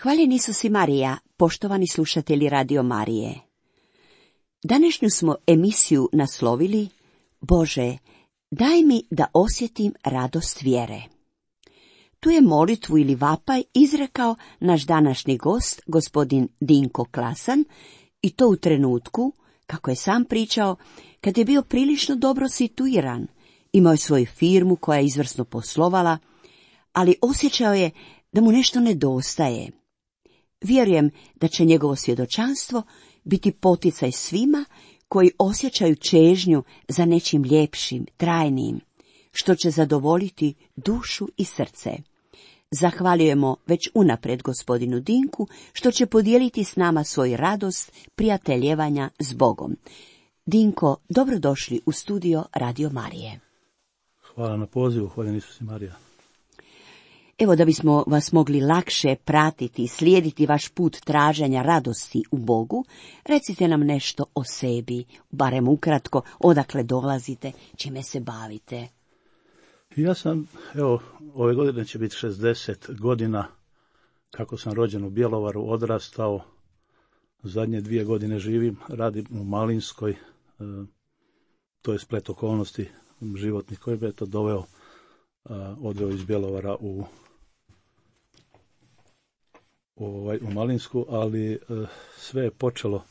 Hvaljen Isus i Marija, poštovani slušatelji Radio Marije. Današnju smo emisiju naslovili Bože, daj mi da osjetim radost vjere. Tu je molitvu ili vapaj izrekao naš današnji gost, gospodin Dinko Klasan, i to u trenutku, kako je sam pričao, kad je bio prilično dobro situiran, imao je svoju firmu koja je izvrsno poslovala, ali osjećao je da mu nešto nedostaje. Vjerujem da će njegovo svjedočanstvo biti poticaj svima koji osjećaju čežnju za nečim ljepšim, trajnim, što će zadovoljiti dušu i srce. Zahvaljujemo već unaprijed gospodinu Dinku što će podijeliti s nama svoju radost prijateljevanja s Bogom. Dinko, dobrodošli u studio Radio Marije. Hvala na pozivu, hvaljen Isus i Marija. Evo, da bismo vas mogli lakše pratiti i slijediti vaš put traženja radosti u Bogu, recite nam nešto o sebi, barem ukratko, odakle dolazite, čime se bavite. Ja sam, ove godine će biti 60 godina kako sam rođen u Bjelovaru, odrastao, zadnje 2 godine živim, radim u Malinskoj, to je splet okolnosti životnih koji bi to doveo, odveo iz Bjelovara u Malinsku, ali sve je počelo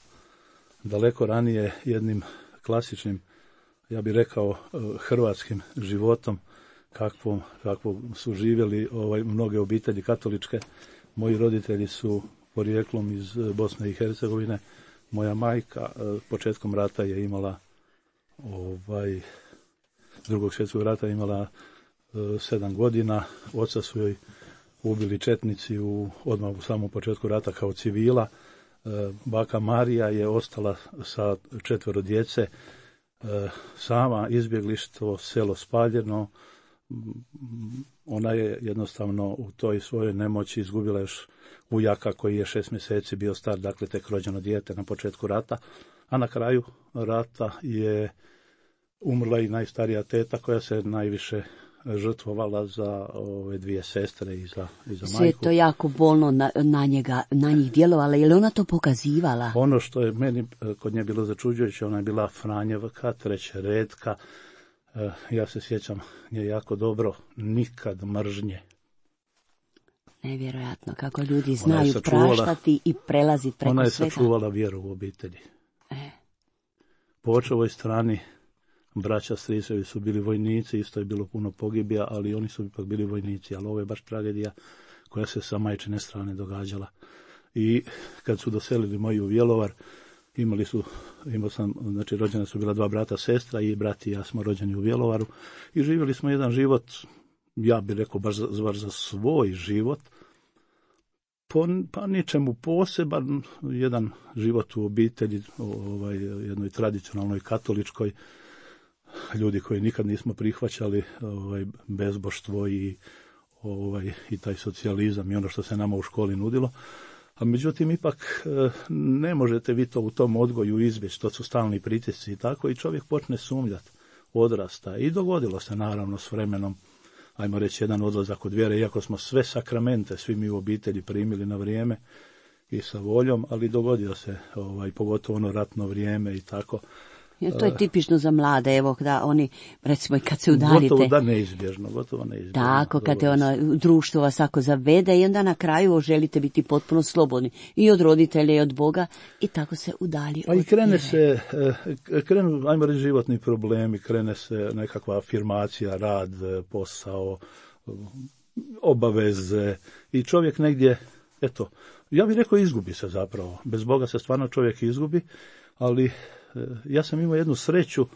daleko ranije jednim klasičnim, ja bih rekao, hrvatskim životom, kakvom su živjeli mnoge obitelji katoličke. Moji roditelji su porijeklom iz Bosne i Hercegovine. Moja majka početkom rata je imala Drugog svjetskog rata imala 7 godina. Oca su joj ubili četnici odmah u samom početku rata kao civila. Baka Marija je ostala sa 4 djece, sama, izbjeglištvo, selo spaljeno. Ona je jednostavno u toj svojoj nemoći izgubila još ujaka koji je 6 mjeseci bio star, dakle tek rođeno dijete na početku rata, a na kraju rata je umrla i najstarija teta koja se najviše žrtvovala za ove 2 sestre i za majku. Sve je to jako bolno na njih djelovala, je li ona to pokazivala? Ono što je meni kod nje bilo začuđujuće, ona je bila Franjevka, trećeredka. Ja se sjećam nje jako dobro, nikad mržnje. Nevjerojatno kako ljudi znaju praštati i prelaziti preko svega. Ona je sačuvala vjeru u obitelji. Po očevoj strani braća stricevi su bili vojnici, isto je bilo puno pogibija, ali oni su ipak bili vojnici, ali ovo je baš tragedija koja se sa majčine strane događala. I kad su doselili moji u Bjelovar, imao sam, znači rođena su bila 2 brata, sestra i brat i ja smo rođeni u Bjelovaru i živjeli smo jedan život, ja bih rekao baš za svoj život, pa ničemu poseban, jedan život u obitelji, jednoj tradicionalnoj katoličkoj, ljudi koji nikad nismo prihvaćali bezboštvo i taj socijalizam i ono što se nama u školi nudilo. A međutim, ipak ne možete vi to u tom odgoju izbjeći, to su stalni pritisci i tako, i čovjek počne sumnjati, odrasta. I dogodilo se naravno s vremenom, ajmo reći, jedan odlazak od vjere, iako smo sve sakramente, svi mi u obitelji primili na vrijeme i sa voljom, ali dogodio se, pogotovo ono ratno vrijeme i tako. Ja, to je tipično za mlade, evo da oni, recimo i kad se udaljite. Gotovo neizbježno. Tako, kad je društvo vas ako zavede i onda na kraju želite biti potpuno slobodni i od roditelja i od Boga i tako se udalji. A i krenu, ajmo reći, životni problemi, krene se nekakva afirmacija, rad, posao, obaveze i čovjek negdje, ja bih rekao, izgubi se zapravo. Bez Boga se stvarno čovjek izgubi, ali ja sam imao jednu sreću,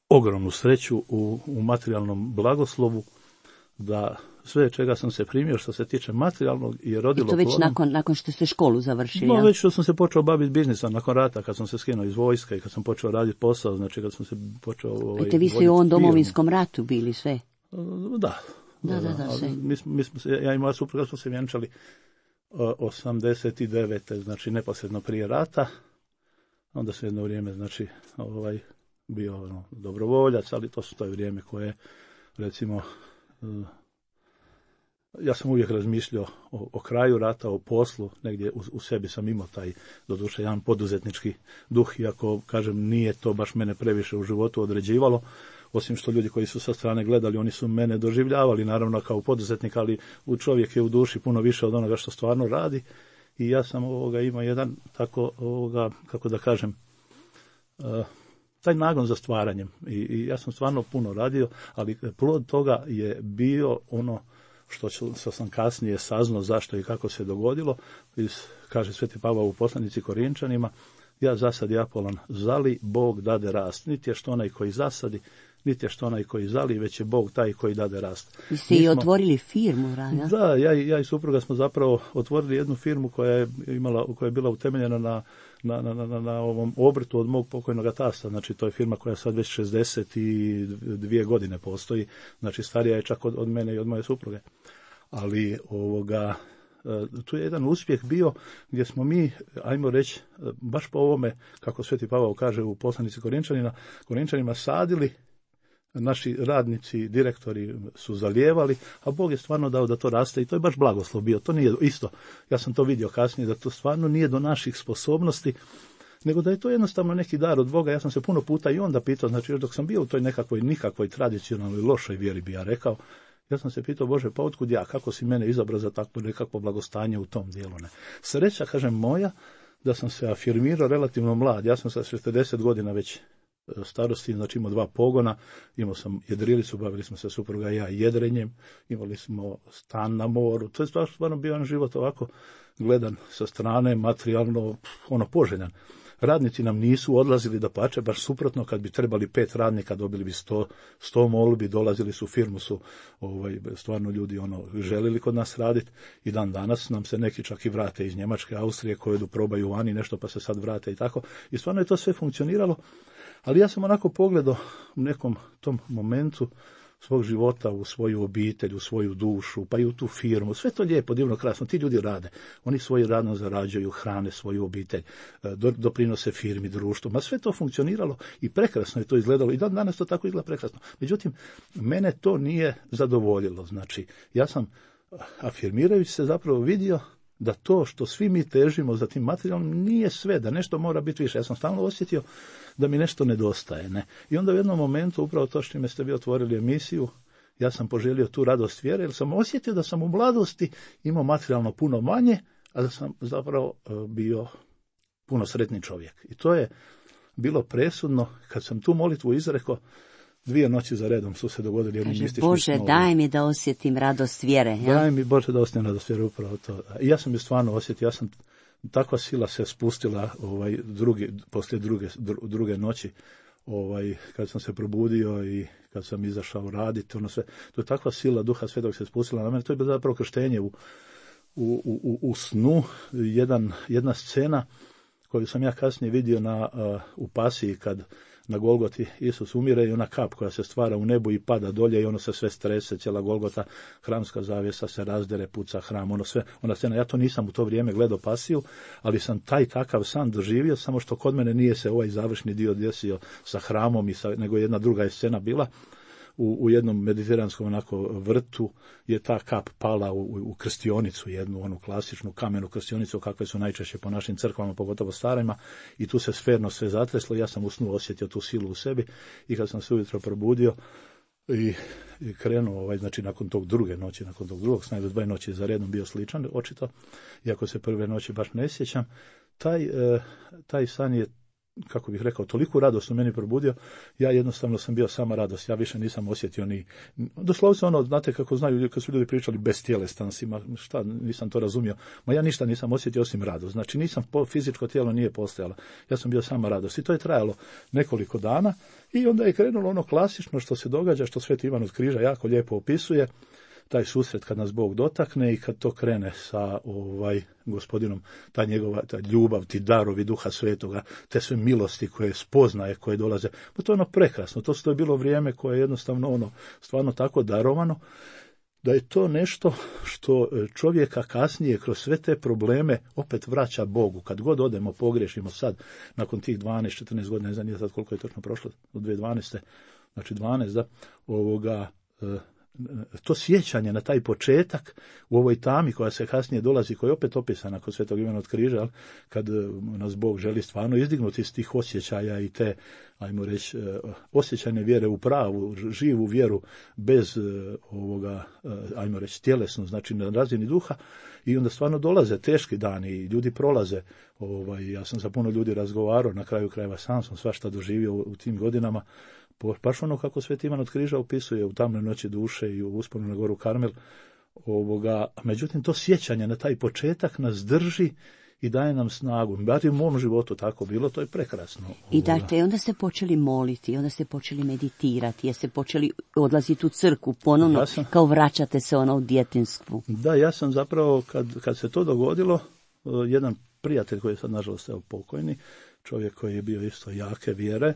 ogromnu sreću u materijalnom blagoslovu, da sve čega sam se primio što se tiče materijalnog je rodilo plodom. I to već nakon što ste školu završili? No, već što sam se počeo baviti biznisom nakon rata, kad sam se skinuo iz vojska i kad sam počeo raditi posao, znači kad sam se počeo... I vi ste i u ovom domovinskom ratu bili sve? Da, sve. Ja i moja supruga smo se vjenčali 89. znači neposredno prije rata. Onda se jedno vrijeme, znači, bio dobrovoljac, ali to je vrijeme koje, recimo, ja sam uvijek razmišljao o kraju rata, o poslu, negdje u sebi sam imao taj, doduše, jedan poduzetnički duh, iako, kažem, nije to baš mene previše u životu određivalo, osim što ljudi koji su sa strane gledali, oni su mene doživljavali, naravno, kao poduzetnik, ali u čovjek je u duši puno više od onoga što stvarno radi, i ja sam imao jedan tako, kako da kažem, taj nagon za stvaranjem, i ja sam stvarno puno radio, ali plod toga je bio ono što sam kasnije saznao zašto i kako se dogodilo. Kaže Sveti Pavao u poslanici Korinčanima, ja zasadi Apolon zali, Bog dade rast. Niti je što onaj koji zasadi, niti je što onaj koji zali, već je Bog taj koji dade rast. Vi ste i otvorili firmu, Raja? Da, ja i supruga smo zapravo otvorili jednu firmu koja je bila utemeljena na ovom obrtu od mog pokojnog tasta. Znači, to je firma koja sad već 62 godine postoji. Znači, starija je čak od mene i od moje supruge. Ali tu je jedan uspjeh bio gdje smo mi, ajmo reći, baš po ovome, kako Sveti Pavao kaže u poslanici Korinčanima, sadili, naši radnici, direktori su zalijevali, a Bog je stvarno dao da to raste, i to je baš blagoslov bio. To nije isto, ja sam to vidio kasnije, da to stvarno nije do naših sposobnosti, nego da je to jednostavno neki dar od Boga. Ja sam se puno puta i onda pitao, znači još dok sam bio u toj nikakvoj tradicionalnoj lošoj vjeri, bi ja rekao, ja sam se pitao, Bože, pa otkud ja, kako si mene izabrao za takvo nekakvo blagostanje u tom dijelu? Ne? Sreća, kažem, moja, da sam se afirmirao relativno mlad. Ja sam sa 40 godina već starosti, znači imao 2 pogona, imao sam jedrilicu, bavili smo se supruga i ja jedrenjem, imali smo stan na moru. To je stvarno bio jedan život ovako gledan sa strane, materijalno, poželjan. Radnici nam nisu odlazili, dapače, baš suprotno, kad bi trebali 5 radnika, dobili bi 100 molbi, dolazili su u firmu, su stvarno ljudi želili kod nas raditi, i dan danas nam se neki čak i vrate iz Njemačke, Austrije, koje probaju vani nešto, pa se sad vrate i tako. I stvarno je to sve funkcioniralo, ali ja sam onako pogledao u nekom tom momentu svog života, u svoju obitelj, u svoju dušu, pa i u tu firmu. Sve to lijepo, divno, krasno. Ti ljudi rade. Oni svoje radno zarađuju, hrane svoju obitelj, doprinose firmi, društvu. Ma sve to funkcioniralo i prekrasno je to izgledalo. I dan danas to tako izgleda prekrasno. Međutim, mene to nije zadovoljilo. Znači, ja sam, afirmirajući se, zapravo vidio da to što svi mi težimo za tim materijalom nije sve, da nešto mora biti više. Ja sam stalno osjetio da mi nešto nedostaje. Ne? I onda u jednom momentu, upravo to što ste vi otvorili emisiju, ja sam poželio tu radost vjere, jer sam osjetio da sam u mladosti imao materijalno puno manje, a da sam zapravo bio puno sretni čovjek. I to je bilo presudno kad sam tu molitvu izrekao. 2 noći za redom su se dogodili jedni mistični Bože, snovi. daj mi da osjetim radost vjere. Ja? Daj mi, Bože, da osjetim radost vjere, upravo to. I ja sam je stvarno osjetio, takva sila se spustila poslije druge noći, kad sam se probudio i kad sam izašao raditi, sve. To je takva sila Duha Svetog se spustila na mene. To je bilo zapravo krštenje u snu, jedna scena koju sam ja kasnije vidio u Pasiji, kad na Golgoti Isus umire i ona kap koja se stvara u nebu i pada dolje i ono se sve strese, cijela Golgota, hramska zavjesa se razdere, puca hram, ona scena. Ja to nisam u to vrijeme gledao Pasiju, ali sam taj takav san doživio, samo što kod mene nije se ovaj završni dio desio sa hramom, nego jedna druga je scena bila. U jednom mediteranskom vrtu je ta kap pala u krstionicu, jednu onu klasičnu kamenu krstionicu, kakve su najčešće po našim crkvama, pogotovo starima, i tu se sferno sve zatreslo. Ja sam u snu osjetio tu silu u sebi, i kad sam se ujutro probudio i krenuo, znači nakon tog druge noći, nakon tog drugog sna, 2 noći za redom bio sličan, očito, iako se prve noći baš ne sjećam, taj san je, kako bih rekao, toliku radost u meni probudio, ja jednostavno sam bio sama radost, ja više nisam osjetio doslovce znate kako znaju, kad su ljudi pričali bestjelestan si, nisam to razumio, ja ništa nisam osjetio osim radost, znači fizičko tijelo nije postojalo, ja sam bio sama radost, i to je trajalo nekoliko dana, i onda je krenulo ono klasično što se događa, što Sveti Ivan od Križa jako lijepo opisuje, taj susret kad nas Bog dotakne i kad to krene sa Gospodinom, ta ljubav, ti darovi Duha Svetoga, te sve milosti koje spoznaje, koje dolaze. Pa to je prekrasno, to je bilo vrijeme koje je jednostavno stvarno tako darovano, da je to nešto što čovjeka kasnije kroz sve te probleme opet vraća Bogu. Kad god odemo, pogriješimo sad, nakon tih 12-14 godina, ne znam sad koliko je točno prošlo, od 2012. Znači 12, to sjećanje na taj početak u ovoj tami koja se kasnije dolazi, koja je opet opisana kod Svetog Ivana od Križa, kad nas Bog želi stvarno izdignuti iz tih osjećaja i te, ajmo reći, osjećajne vjere u pravu, živu vjeru bez ovoga, ajmo reći, tjelesno, znači na razini duha, i onda stvarno dolaze teški dani i ljudi prolaze. Ja sam sa puno ljudi razgovarao, na kraju krajeva sam svašta doživio u tim godinama, baš ono kako Sveti Ivan od Križa opisuje u tamnoj noći duše i u usponu na goru Karmel. Međutim, to sjećanje na taj početak nas drži i daje nam snagu. Bar u mom životu tako bilo, to je prekrasno. I dakle, onda ste počeli moliti, onda ste počeli meditirati, jer ste počeli odlaziti u crkvu ponovno, kao vraćate se u djetinjstvu. Da, ja sam zapravo, kad se to dogodilo, jedan prijatelj koji je sad nažalost pokojni, čovjek koji je bio isto jake vjere,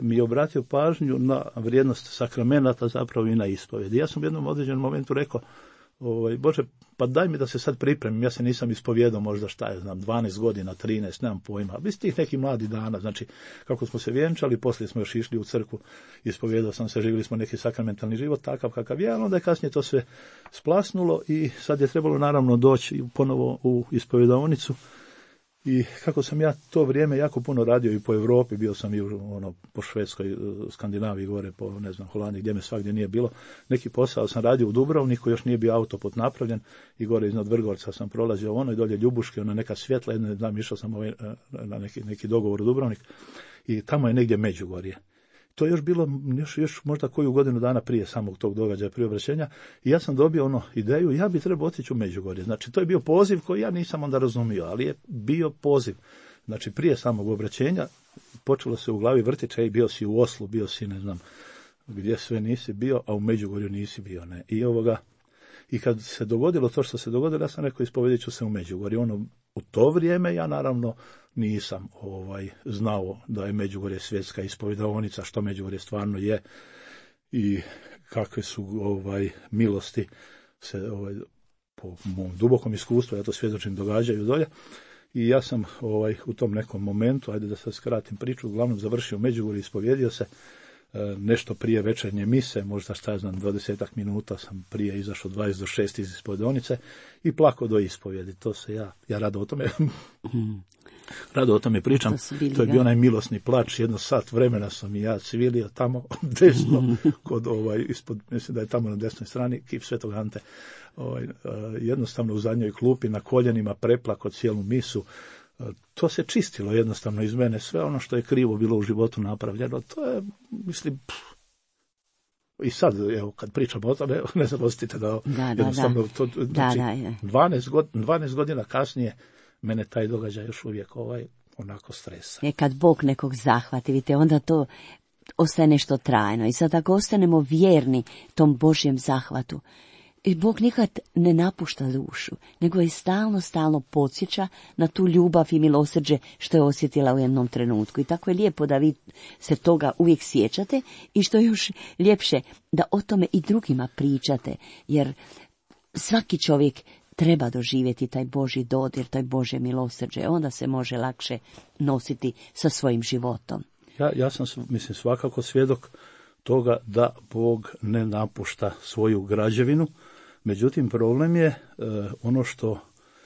mi je obratio pažnju na vrijednost sakramenata, zapravo i na ispovjedi. Ja sam u jednom određenom momentu rekao, Bože, pa daj mi da se sad pripremim, ja se nisam ispovjedao možda 12 godina, 13, nemam pojma, bez tih nekih mladih dana, znači kako smo se vjenčali, poslije smo još išli u crkvu, ispovjedao sam se, živjeli smo neki sakramentalni život, takav kakav je, onda je kasnije to sve splasnulo i sad je trebalo naravno doći ponovo u ispovjedaonicu. I kako sam ja to vrijeme jako puno radio i po Europi, bio sam i po Švedskoj, Skandinaviji, gore po, Holandiji, gdje me svakdje nije bilo. Neki posao sam radio u Dubrovniku, još nije bio autoput napravljen i gore iznad Vrgorca sam prolazio i dolje Ljubuške, neka svjetla, išao sam na neki dogovor u Dubrovnik i tamo je negdje Međugorje. To je još bilo još možda koju godinu dana prije samog tog događaja, prije obraćenja, i ja sam dobio ideju, ja bi trebao otići u Međugorje. Znači, to je bio poziv koji ja nisam onda razumio, ali je bio poziv. Znači, prije samog obraćenja počelo se u glavi vrtići, bio si u Oslu, bio si ne znam gdje sve nisi bio, a u Međugorju nisi bio. Ne. I kad se dogodilo to što se dogodilo, ja sam rekao, ispovjedit ću se u Međugorju. U to vrijeme ja naravno nisam znao da je Međugorje svjetska ispovjedaonica, što Međugorje stvarno je i kakve su milosti se po mom dubokom iskustvu, ja to svjedočim, događaju dolje. I ja sam u tom nekom momentu, ajde da sad skratim priču, uglavnom završio u Međugorju, ispovjedio se nešto prije večernje mise, možda 20 minuta sam prije izašao 20 do 6 iz ispovjedonice i plako do ispovjedi. To se ja rado o tome pričam. To je bio onaj milosni plač, 1 sat vremena sam i ja cvilio tamo desno, kod ispod, mislim da je tamo na desnoj strani, kip Svetog Ante. Jednostavno u zadnjoj klupi, na koljenima, preplako cijelu misu. To se čistilo jednostavno iz mene, sve ono što je krivo bilo u životu napravljeno, to je, mislim, i sad, evo, kad pričamo o tome, ne zapostite da jednostavno, to, znači, 12 godina kasnije, mene taj događaj još uvijek onako stresa. Kad Bog nekog zahvati, vidite, onda to ostaje nešto trajno. I sad ako ostanemo vjerni tom Božjem zahvatu, i Bog nikad ne napušta dušu, nego je stalno podsjeća na tu ljubav i milosrđe što je osjetila u jednom trenutku. I tako je lijepo da vi se toga uvijek sjećate i što je još ljepše da o tome i drugima pričate, jer svaki čovjek treba doživjeti taj Božji dodir, taj Božje milosrđe, onda se može lakše nositi sa svojim životom. Ja sam, mislim, svakako svjedok toga da Bog ne napušta svoju građevinu, međutim problem je ono što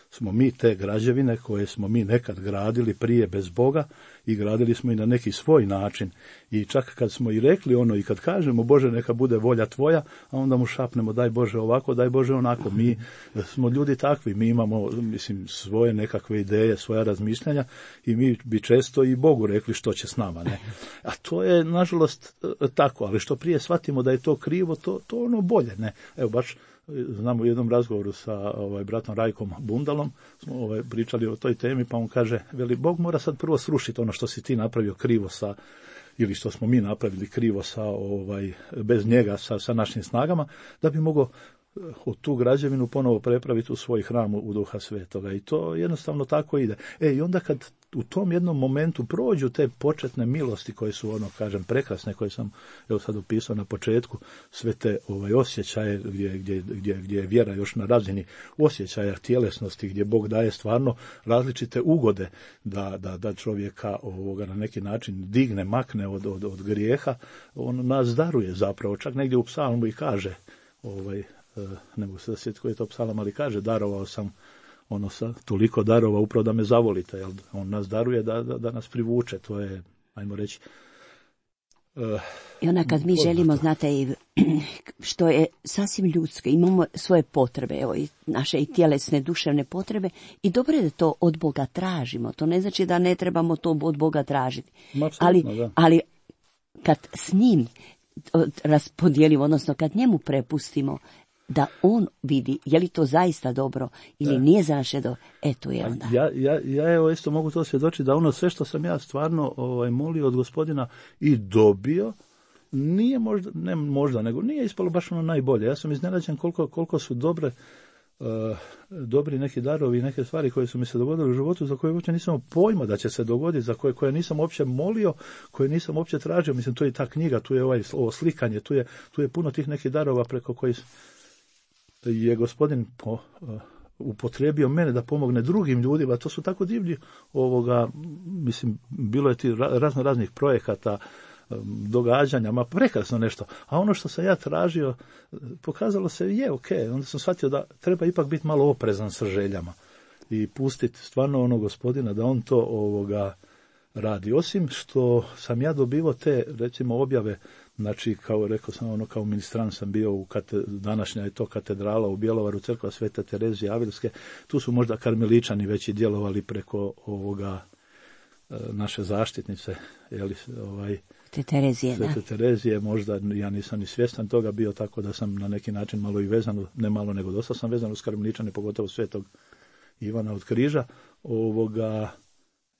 smo mi te građevine koje smo mi nekad gradili prije bez Boga i gradili smo i na neki svoj način. I čak kad smo i rekli i kad kažemo Bože neka bude volja tvoja, a onda mu šapnemo daj Bože ovako, daj Bože onako. Mi smo ljudi takvi, mi imamo, mislim, svoje nekakve ideje, svoja razmišljanja i mi bi često i Bogu rekli što će s nama. Ne? A to je nažalost tako, ali što prije shvatimo da je to krivo, to bolje. Ne? Evo baš znam u jednom razgovoru sa bratom Rajkom Bundalom, smo pričali o toj temi, pa on kaže, veli, Bog mora sad prvo srušiti ono što si ti napravio krivo ili što smo mi napravili krivo bez njega, sa našim snagama, da bi mogao tu građevinu ponovo prepraviti u svoj hram u Duha Svetoga. I to jednostavno tako ide. I onda kad u tom jednom momentu prođu te početne milosti koje su, prekrasne, koje sam sad opisao na početku, sve te osjećaje gdje je vjera još na razini osjećaja tjelesnosti, gdje Bog daje stvarno različite ugode da čovjeka na neki način digne, makne od grijeha, on nas daruje zapravo. Čak negdje u psalmu i kaže, ne mogu se sjetiti koji je to psalam, ali kaže, darovao sam toliko darova upravo da me zavolite, jel? On nas daruje da nas privuče, to je, ajmo reći. I onda kad mi želimo, znate, što je sasvim ljudsko, imamo svoje potrebe, i naše i tjelesne, duševne potrebe, i dobro je da to od Boga tražimo. To ne znači da ne trebamo to od Boga tražiti. Ali kad s njim raspodijelimo, odnosno kad njemu prepustimo, da on vidi je li to zaista dobro ili nije za naše dobro, eto je onda. Ja evo isto mogu to svjedočiti da sve što sam ja stvarno molio od Gospodina i dobio, nije nego nije ispalo baš najbolje. Ja sam iznenađen koliko su dobri neki darovi i neke stvari koje su mi se dogodile u životu, za koje uopće nisam pojma da će se dogoditi, za koje nisam uopće molio, koje nisam uopće tražio. Mislim, to je ta knjiga, tu je ovo slikanje, tu je puno tih nekih darova preko kojih je Gospodin upotrijebio mene da pomogne drugim ljudima. To su tako divni mislim, bilo je ti raznih projekata, događanja, prekrasno nešto. A ono što sam ja tražio, pokazalo se onda sam shvatio da treba ipak biti malo oprezan sa željama i pustiti stvarno Gospodina da on to radi. Osim što sam ja dobivao te, recimo, objave, znači, kao rekao sam, kao ministrant sam bio današnja je to katedrala u Bjelovaru, crkva Svete Terezije Avilske, tu su možda karmeličani već i djelovali preko naše zaštitnice, Svete Terezije, možda ja nisam ni svjestan toga bio, tako da sam na neki način malo i vezan, ne malo nego dosta sam vezan uz karmeličane, pogotovo Svetog Ivana od Križa.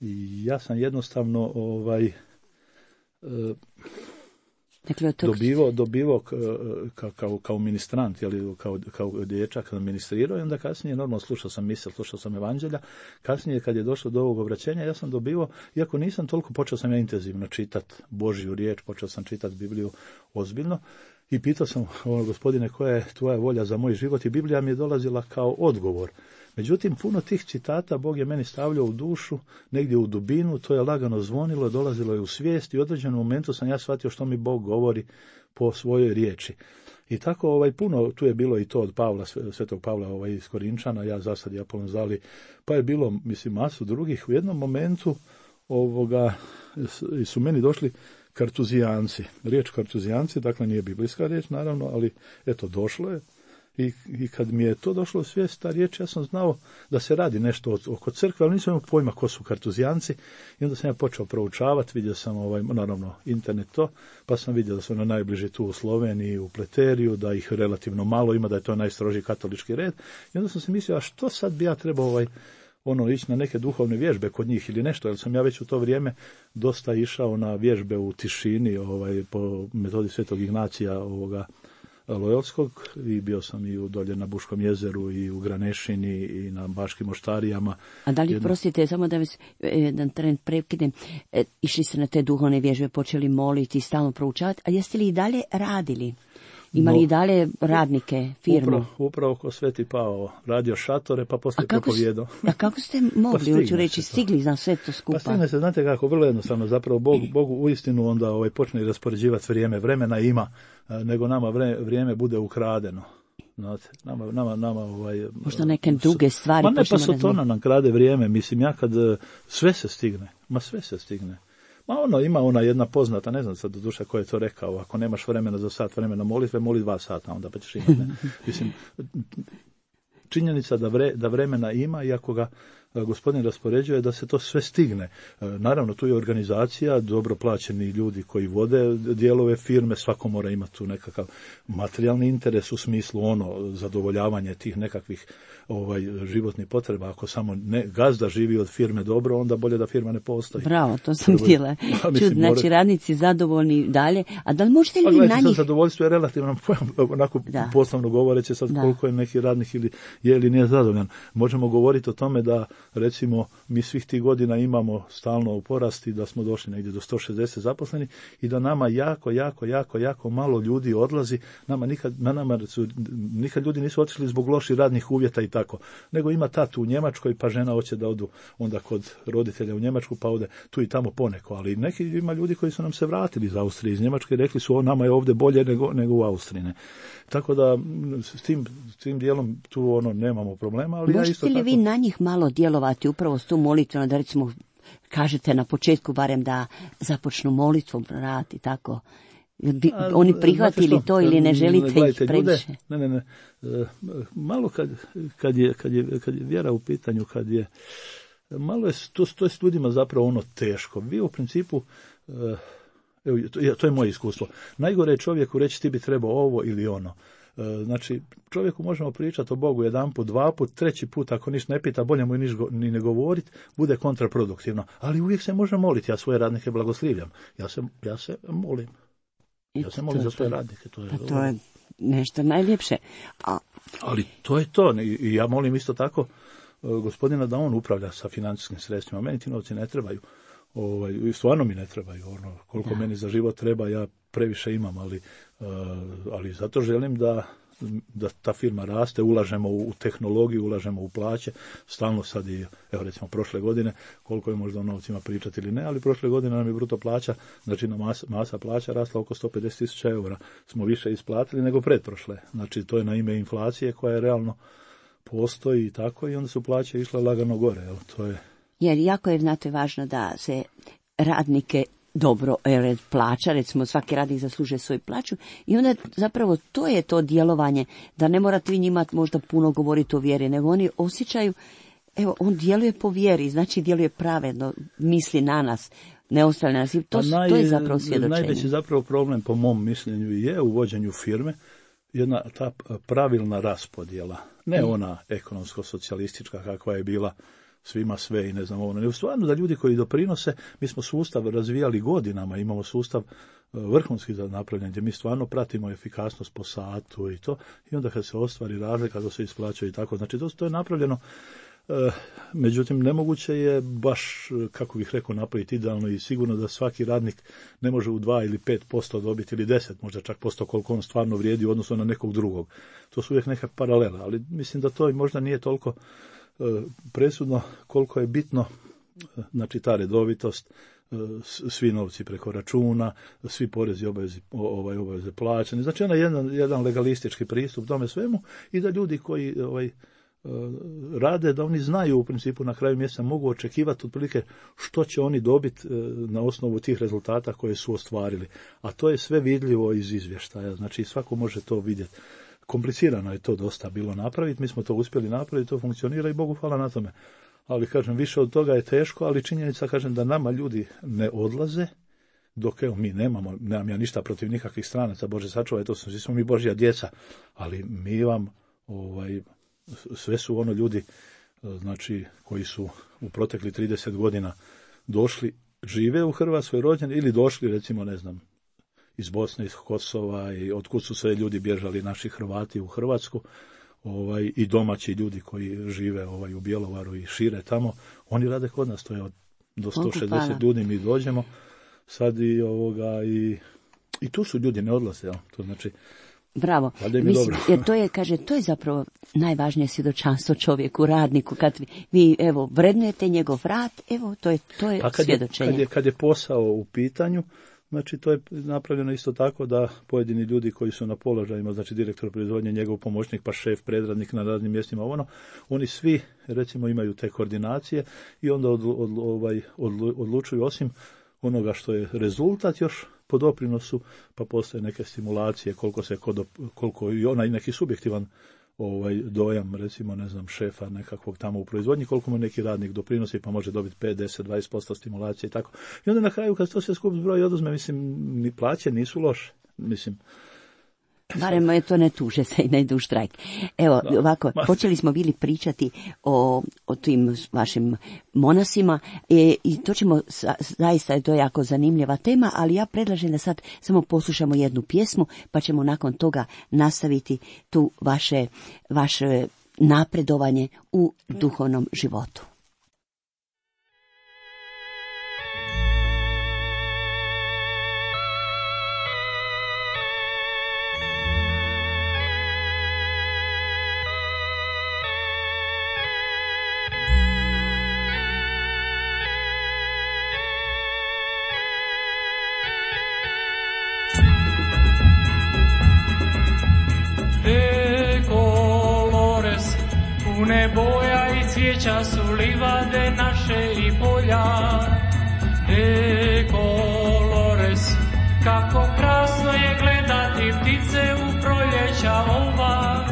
I ja sam jednostavno dobivao kao ministrant, kao dječak ministrirao, i onda kasnije normalno slušao sam misel, slušao sam evanđelja. Kasnije kad je došlo do ovog obraćenja, ja sam dobivao, iako nisam toliko, počeo sam ja intenzivno čitati Božju riječ, počeo sam čitati Bibliju ozbiljno i pitao sam, Gospodine, koja je tvoja volja za moj život, i Biblija mi je dolazila kao odgovor. Međutim, puno tih citata Bog je meni stavljao u dušu, negdje u dubinu, to je lagano zvonilo, dolazilo je u svijest i u određenom momentu sam ja shvatio što mi Bog govori po svojoj riječi. I tako puno, tu je bilo i to od Pavla, Svetog Pavla iz Korinčana, ja zasad i Apolon Zali, pa je bilo, mislim, masu drugih. U jednom momentu su meni došli kartuzijanci. Riječ kartuzijanci, dakle nije biblijska riječ, naravno, ali eto, došlo je. I kad mi je to došlo u svijest, ta riječ, ja sam znao da se radi nešto oko crkve, ali nisam imao pojma ko su kartuzijanci. I onda sam ja počeo proučavati, vidio sam naravno internet pa sam vidio da su najbliži tu u Sloveniji, u Pleteriju, da ih relativno malo ima, da je to najstrožiji katolički red. I onda sam se mislio, a što sad bi ja trebao ići na neke duhovne vježbe kod njih ili nešto, jer sam ja već u to vrijeme dosta išao na vježbe u tišini, po metodi Svetog Ignacija Lojotskog, i bio sam i dolje na Buškom jezeru i u Granešini i na Baškim oštarijama. A da li, prostite, samo da vas jedan tren prekidem, išli ste na te duhovne vježbe, počeli moliti i stalno proučavati, a jeste li i dalje radili? Imali i dalje radnike, firmu? Upravo ko Sveti Pavao, radio šatore, pa poslije propovijedao. A kako ste mogli, hoću reći, stigli na sve to skupa? Pa stigne se, znate kako, vrlo jednostavno, zapravo Bogu uistinu onda počne raspoređivati vrijeme, vremena ima, nego nama vrijeme bude ukradeno. Znate, nama možda neke druge stvari. Ma ne, pa Sotona nam krade vrijeme, mislim, ja kad sve se stigne. Ima ona jedna poznata, ne znam sad do duše ko je to rekao, ako nemaš vremena za sat vremena molitve, moli 2 sata, onda pa ćeš imati. Mislim, činjenica da vremena ima, i ako ga gospodin raspoređuje da se to sve stigne. Naravno, tu je organizacija, dobro plaćeni ljudi koji vode dijelove firme, svako mora imati tu nekakav materijalni interes u smislu zadovoljavanje tih nekakvih životnih potreba. Ako samo gazda živi od firme dobro, onda bolje da firma ne postoji. Bravo, to sam htjela čuti. Znači, radnici zadovoljni dalje. A da li možete li vi na njih... Zadovoljstvo je relativno pojam, onako poslovno govoreći sad koliko je neki radnik ili nije zadovoljan. Možemo govoriti o tome da, recimo, mi svih tih godina imamo stalno u porasti, da smo došli negdje do 160 zaposlenih i da nama jako malo ljudi odlazi. Nikad ljudi nisu otišli zbog loših radnih uvjeta i tako, nego ima tatu u Njemačkoj, pa žena hoće da odu onda kod roditelja u Njemačku, pa ode tu i tamo poneko, ali ima ljudi koji su nam se vratili iz Austrije, iz Njemačke i rekli su nama je ovdje bolje nego u Austriji. Ne? Tako da s tim dijelom tu nemamo problema. Ali možete li vi na njih malo djelovati upravo s tu molitvom, da recimo kažete na početku barem da započnu molitvom rad i tako? Bi oni prihvatili to ili ne želite ih previše? Ne. Malo kad je vjera u pitanju, malo je to je s ljudima zapravo teško. Vi u principu, to je moje iskustvo, najgore je čovjeku reći ti bi trebao ovo ili ono. Znači, čovjeku možemo pričati o Bogu jedanput, dvaput, treći put, ako ništa ne pita, bolje mu ni ne govoriti, bude kontraproduktivno. Ali uvijek se može moliti, ja svoje radnike blagoslivljam. Ja se molim. Ja se molim za svoje radnike. To je nešto najljepše. Ali to je to. I ja molim isto tako gospodina da on upravlja sa financijskim sredstvima. Meni ti novci ne trebaju. Stvarno mi ne trebaju. Koliko meni za život treba, ja previše imam, ali zato želim da ta firma raste, ulažemo u tehnologiju, ulažemo u plaće, stalno sad i, evo recimo prošle godine, koliko je možda o novcima pričati ili ne, ali prošle godine nam je bruto plaća, znači masa plaća rasla oko 150.000 eura, smo više isplatili nego pretprošle, znači to je na ime inflacije koja je realno postoji i tako, i onda su plaće išle lagano gore, to je... Jer jako je, znate, važno da se radnike dobro plaća, recimo svaki radnik zaslužuje svoju plaću i onda zapravo to je to djelovanje, da ne morate vi njima možda puno govoriti o vjeri, nego oni osjećaju, evo, on djeluje po vjeri, znači djeluje pravedno, misli na nas, ne ostavlja nas. To je zapravo svjedočenje. Najveći zapravo problem po mom mišljenju je u vođenju firme jedna ta pravilna raspodjela, ne ona ekonomsko-socijalistička kakva je bila svima sve i ne znam ovo, nego stvarno da ljudi koji doprinose, mi smo sustav razvijali godinama, imamo sustav vrhunski za napravljanje, gdje mi stvarno pratimo efikasnost po satu i to, i onda kad se ostvari razlika, da se isplaćuje i tako, znači to je napravljeno, međutim nemoguće je baš, kako bih rekao, napraviti idealno i sigurno da svaki radnik ne može u 2 ili 5% dobiti ili 10, možda čak posto koliko on stvarno vrijedi u odnosu na nekog drugog. To su uvijek neka paralela, ali mislim da to i možda nije toliko presudno koliko je bitno, znači ta redovitost, svi novci preko računa, svi porezi obaveze plaćani, znači jedan legalistički pristup tome svemu i da ljudi koji rade, da oni znaju u principu na kraju mjeseca mogu očekivati otprilike što će oni dobiti na osnovu tih rezultata koje su ostvarili, a to je sve vidljivo iz izvještaja, znači svako može to vidjeti. Komplicirano je to dosta bilo napraviti, mi smo to uspjeli napraviti, to funkcionira i Bogu hvala na tome. Ali kažem, više od toga je teško, ali činjenica, kažem, da nama ljudi ne odlaze, dok evo mi nemam ja ništa protiv nikakvih stranaca, Bože sačuvaj, to svi smo mi Božja djeca, ali mi vam, sve su ljudi, znači, koji su u protekli 30 godina došli, žive u Hrvatskoj, rođeni ili došli, recimo, ne znam, iz Bosne, iz Kosova i otkud su sve ljudi bježali, naši Hrvati u Hrvatsku, i domaći ljudi koji žive u Bjelovaru i šire tamo, oni rade kod nas, to je do 160 ljudi mi dođemo sad i tu su ljudi, ne odlaze, to znači... Bravo, mislim, jer to je zapravo najvažnije svjedočanstvo čovjeku, radniku, kad vi evo vrednujete njegov rad, evo to je svjedočenje. Kad je posao u pitanju, znači to je napravljeno isto tako da pojedini ljudi koji su na položajima, znači direktor proizvodnje, njegov pomoćnik, pa šef, predradnik na raznim mjestima, oni svi recimo imaju te koordinacije i onda odlučuju osim onoga što je rezultat još po doprinosu, pa postoje neke stimulacije koliko i onaj neki subjektivan dojam, recimo, ne znam, šefa nekakvog tamo u proizvodnji, koliko mu neki radnik doprinosi, pa može dobiti 5, 10, 20% stimulacije i tako. I onda na kraju, kad to sve skup zbroj oduzme, mislim, ni plaće nisu loše, mislim. Barem je to ne tuže se i ne idu u štrajk. Evo, ovako, počeli smo bili pričati o tim vašim monasima i to ćemo, zaista je to jako zanimljiva tema, ali ja predlažem da sad samo poslušamo jednu pjesmu, pa ćemo nakon toga nastaviti tu vaše napredovanje u duhovnom životu. Pune boja i cvijeća su livade naše i polja. Colores, kako krasno je gledati ptice u proljeća ova.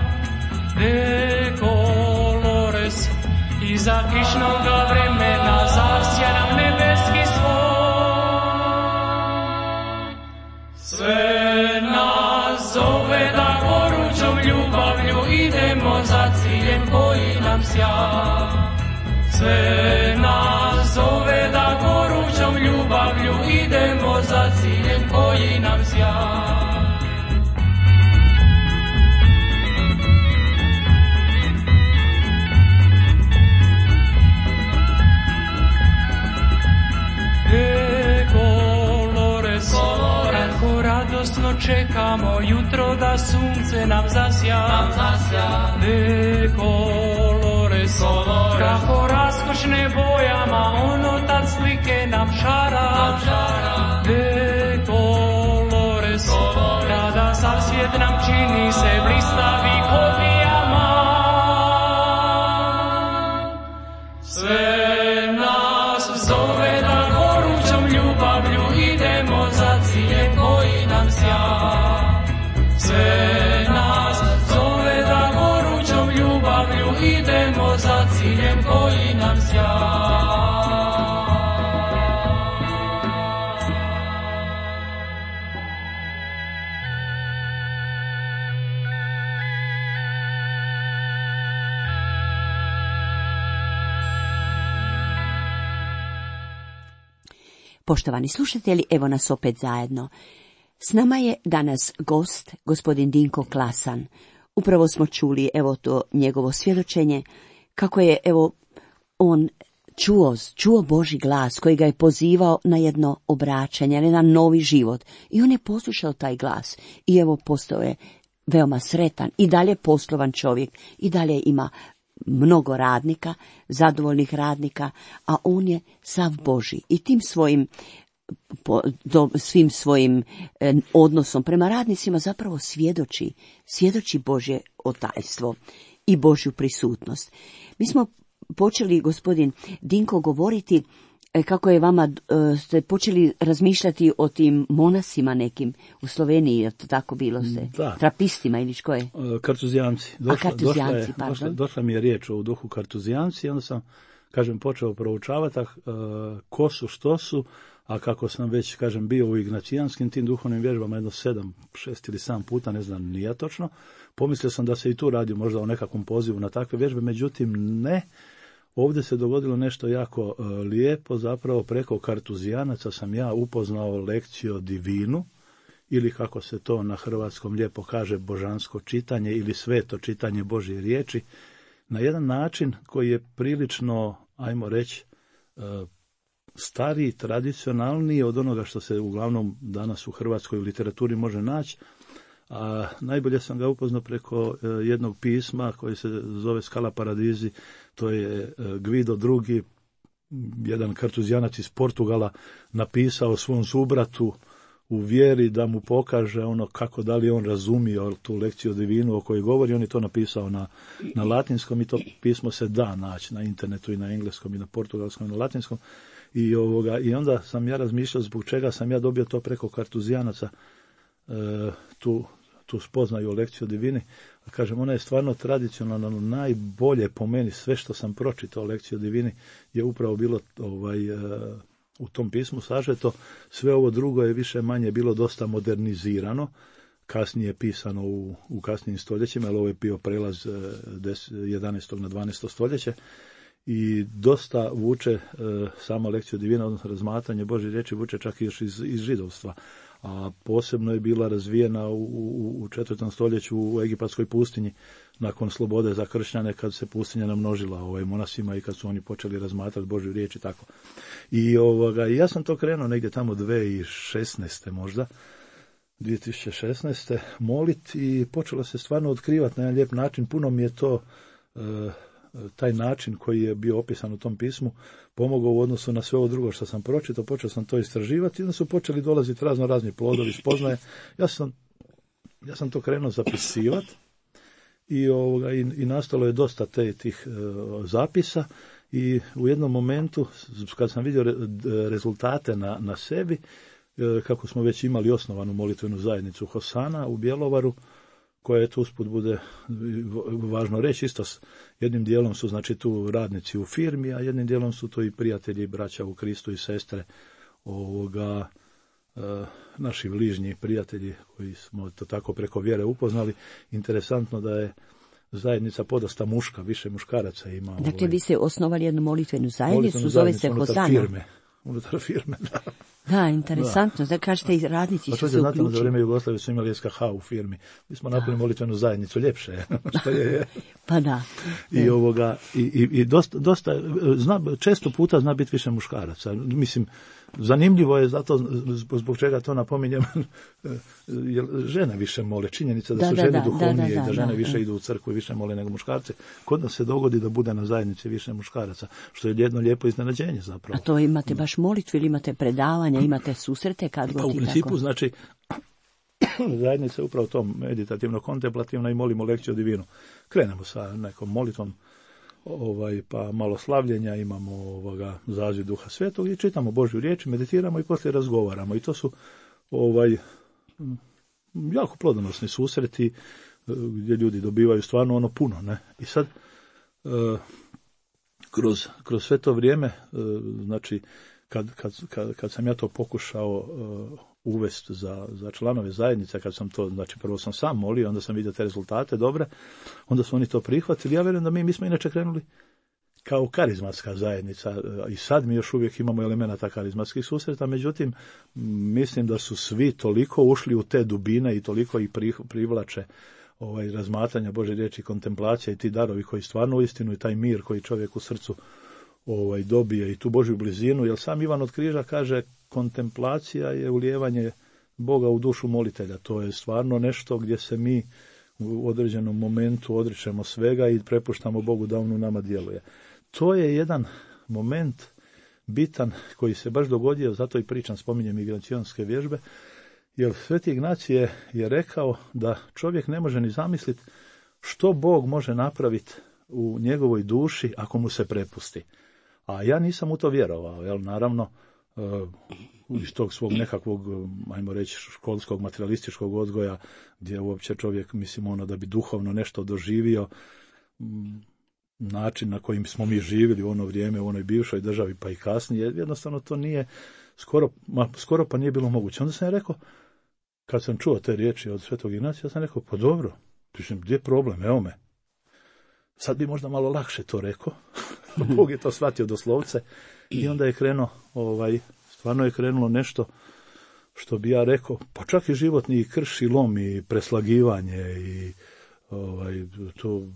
Colores, iza kišnoga vremena zasja nam nebeski svoj. Sve nas zove da gorućom ljubavlju idemo za ciljem koji nam sja. Sve nas zove da gorućom ljubavlju idemo za ciljem koji nam sja. Radosno čekamo jutro da sunce nam zasja. De colores, kako raskošne bojama ono tad slike nam šara. De colores, kada sav svijet nam čini se blistavi ko dijamant. Sve nas zove da gorućom ljubavlju idemo za ciljem koji nam sja. Sve nas zove da gorućom ljubavlju idemo za ciljem koji nam sja. Poštovani slušatelji, evo nas opet zajedno. S nama je danas gost, gospodin Dinko Klasan. Upravo smo čuli, evo to njegovo svjedočenje, kako je, evo, on čuo Božji glas koji ga je pozivao na jedno obraćanje, na jedan novi život. I on je poslušao taj glas i evo postao je veoma sretan i dalje poslovan čovjek i dalje ima mnogo radnika, zadovoljnih radnika, a on je sav Božji i tim svim svojim odnosom prema radnicima zapravo svjedoči Božje otajstvo i Božju prisutnost. Mi smo počeli, gospodin Dinko, govoriti kako je vama, ste počeli razmišljati o tim monasima nekim u Sloveniji, je to tako bilo ste? Da. Trapistima ili što je? Kartuzijanci. Došla mi je riječ o duhu kartuzijanci i onda sam, počeo proučavati ko su, što su, a kako sam već, bio u ignacijanskim tim duhovnim vježbama jedno 7, 6 ili 7 puta, ne znam ni ja točno, pomislio sam da se i tu radi možda o nekakvom pozivu na takve vježbe, međutim ne. Ovdje se dogodilo nešto jako lijepo, zapravo preko kartuzijanaca sam ja upoznao lekciju divinu, ili kako se to na hrvatskom lijepo kaže, božansko čitanje ili sveto čitanje Božje riječi, na jedan način koji je prilično, ajmo reći, stariji, tradicionalniji od onoga što se uglavnom danas u hrvatskoj literaturi može naći. A najbolje sam ga upoznao preko jednog pisma koji se zove Skala Paradizi, to je Guido II, jedan kartuzijanac iz Portugala, napisao svom subratu u vjeri da mu pokaže kako da li on razumio tu lekciju divinu o kojoj govori. On je to napisao na latinskom i to pismo se da naći na internetu i na engleskom i na portugalskom i na latinskom. I onda sam ja razmišljao zbog čega sam ja dobio to preko kartuzijanaca, tu spoznaju o lekciju divini. A kažem, ona je stvarno tradicionalno najbolje po meni, sve što sam pročitao o lekciju divini je upravo bilo u tom pismu sažeto. Sve ovo drugo je više manje bilo dosta modernizirano, kasnije pisano u kasnijim stoljećima, jer ovo je bio prelaz 11. na 12. stoljeće i dosta vuče sama lekcija divina, odnosno razmatranje Božje riječi vuče čak još iz židovstva, a posebno je bila razvijena u 4. stoljeću u egipatskoj pustinji nakon slobode za kršćane, kad se pustinja namnožila monasima i kad su oni počeli razmatrati Božju riječ i tako. I ja sam to krenuo negdje tamo 2016. možda, 2016. moliti i počelo se stvarno otkrivati na jedan lijep način. Puno mi je to, taj način koji je bio opisan u tom pismu, pomogao u odnosu na sve ovo drugo što sam pročitao. Počeo sam to istraživati i onda su počeli dolaziti razni plodovi spoznaje. Ja sam to krenuo zapisivati i nastalo je dosta tih zapisa i u jednom momentu kad sam vidio rezultate na sebi, kako smo već imali osnovanu molitvenu zajednicu Hosana u Bjelovaru, koja je tu usput bude važno reći, isto s jednim dijelom su znači tu radnici u firmi, a jednim dijelom su to i prijatelji, braća u Kristu i sestre naši bližnji prijatelji koji smo to tako preko vjere upoznali. Interesantno da je zajednica podosta muška, više muškaraca ima. Dakle, vi ste osnovali jednu molitvenu zajednicu, zove se Hosana. Unutar firme, da. Da, interesantno, da kažete i radnici su se uključili. Za vrijeme Jugoslavije su imali SKH u firmi. Mi smo napravili molitvenu zajednicu, ljepše je. Što je. Pa da. I dosta često puta zna biti više muškaraca. Mislim, zanimljivo je zato zbog čega to napominjem, jer žene više mole. Činjenica da su žene duhovnije i da žene više idu u crkvu i više mole nego muškarci. Kod nas se dogodi da bude na zajednici više muškaraca, što je jedno lijepo iznenađenje zapravo. A to imate baš molitvu ili imate predavanja, imate susrete kad god i tako? U principu, znači, zajednica je upravo to meditativno-kontemplativno i molimo lekciju divinu. Krenemo sa nekom molitvom, pa malo slavljenja, imamo zaziv Duha Svetog i čitamo Božju riječ, meditiramo i poslije razgovaramo. I to su jako plodonosni susreti gdje ljudi dobivaju stvarno puno, ne? I sad kroz sve to vrijeme, znači kad sam ja to pokušao uvesti za članove zajednice, kad sam to, znači prvo sam sam molio, onda sam vidio te rezultate dobre, onda su oni to prihvatili. Ja vjerujem da mi smo inače krenuli kao karizmatska zajednica i sad mi još uvijek imamo elemenata karizmatskih susreta, međutim mislim da su svi toliko ušli u te dubine i toliko ih privlače razmatranja Božje riječi, kontemplacija i ti darovi koji stvarno uistinu i taj mir koji čovjek u srcu dobije i tu Božju blizinu, jer sam Ivan od Križa kaže kontemplacija je ulijevanje Boga u dušu molitelja. To je stvarno nešto gdje se mi u određenom momentu odričemo svega i prepuštamo Bogu da on u nama djeluje. To je jedan moment bitan koji se baš dogodio, zato i pričam, spominjem Ignacijanske vježbe, jer Sveti Ignacij je rekao da čovjek ne može ni zamisliti što Bog može napraviti u njegovoj duši ako mu se prepusti. A ja nisam u to vjerovao, jer naravno iz tog svog nekakvog, ajmo reći, školskog, materialističkog odgoja, gdje uopće čovjek, mislim, da bi duhovno nešto doživio, način na kojim smo mi živjeli u ono vrijeme, u onoj bivšoj državi, pa i kasnije, jednostavno to nije, skoro pa nije bilo moguće. Onda sam rekao, kad sam čuo te riječi od Svetog Ignacija, ja sam rekao, pa dobro, gdje je problem, evo me. Sad bi možda malo lakše to rekao, Bog je to shvatio doslovce i onda je krenuo, stvarno je krenulo nešto što bi ja rekao, pa čak i životni krš i lom i preslagivanje i to,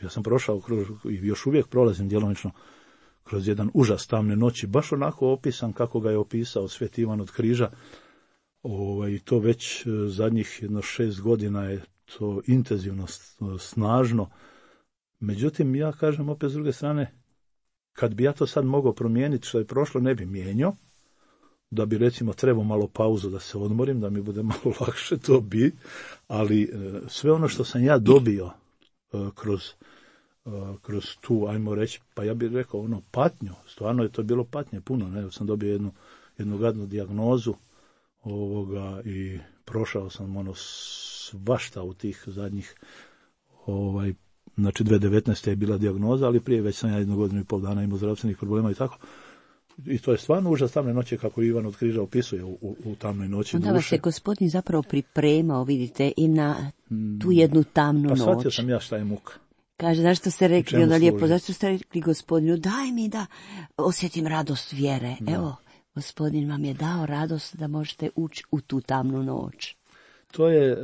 ja sam prošao i još uvijek prolazim djelomično kroz jedan užas tamne noći, baš onako opisan kako ga je opisao Sveti Ivan od Križa, i to već zadnjih 6 godina je to intenzivno, snažno. Međutim, ja kažem opet s druge strane, kad bi ja to sad mogao promijeniti što je prošlo, ne bi mijenjao, da bi recimo trebao malo pauzu da se odmorim, da mi bude malo lakše, to bi, ali sve ono što sam ja dobio kroz tu, ajmo reći, pa ja bih rekao patnju, stvarno je to bilo patnje puno, ne, sam dobio jednu gadnu dijagnozu i prošao sam svašta u tih zadnjih, znači 2019. je bila dijagnoza, ali prije već sam ja 1 godinu i pol dana imao zdravstvenih problema i tako. I to je stvarno užas tamne noći, kako Ivan od Križa opisuje u tamnoj noći onda duše. vas je Gospodin zapravo pripremao, vidite, i na tu jednu tamnu noć. Pa shvatio sam ja šta je muka. Kaže, zašto ste rekli, onda lijepo, služi? zašto ste rekli Gospodinu, daj mi da osjetim radost vjere. Da. Evo, Gospodin vam je dao radost da možete ući u tu tamnu noć. To je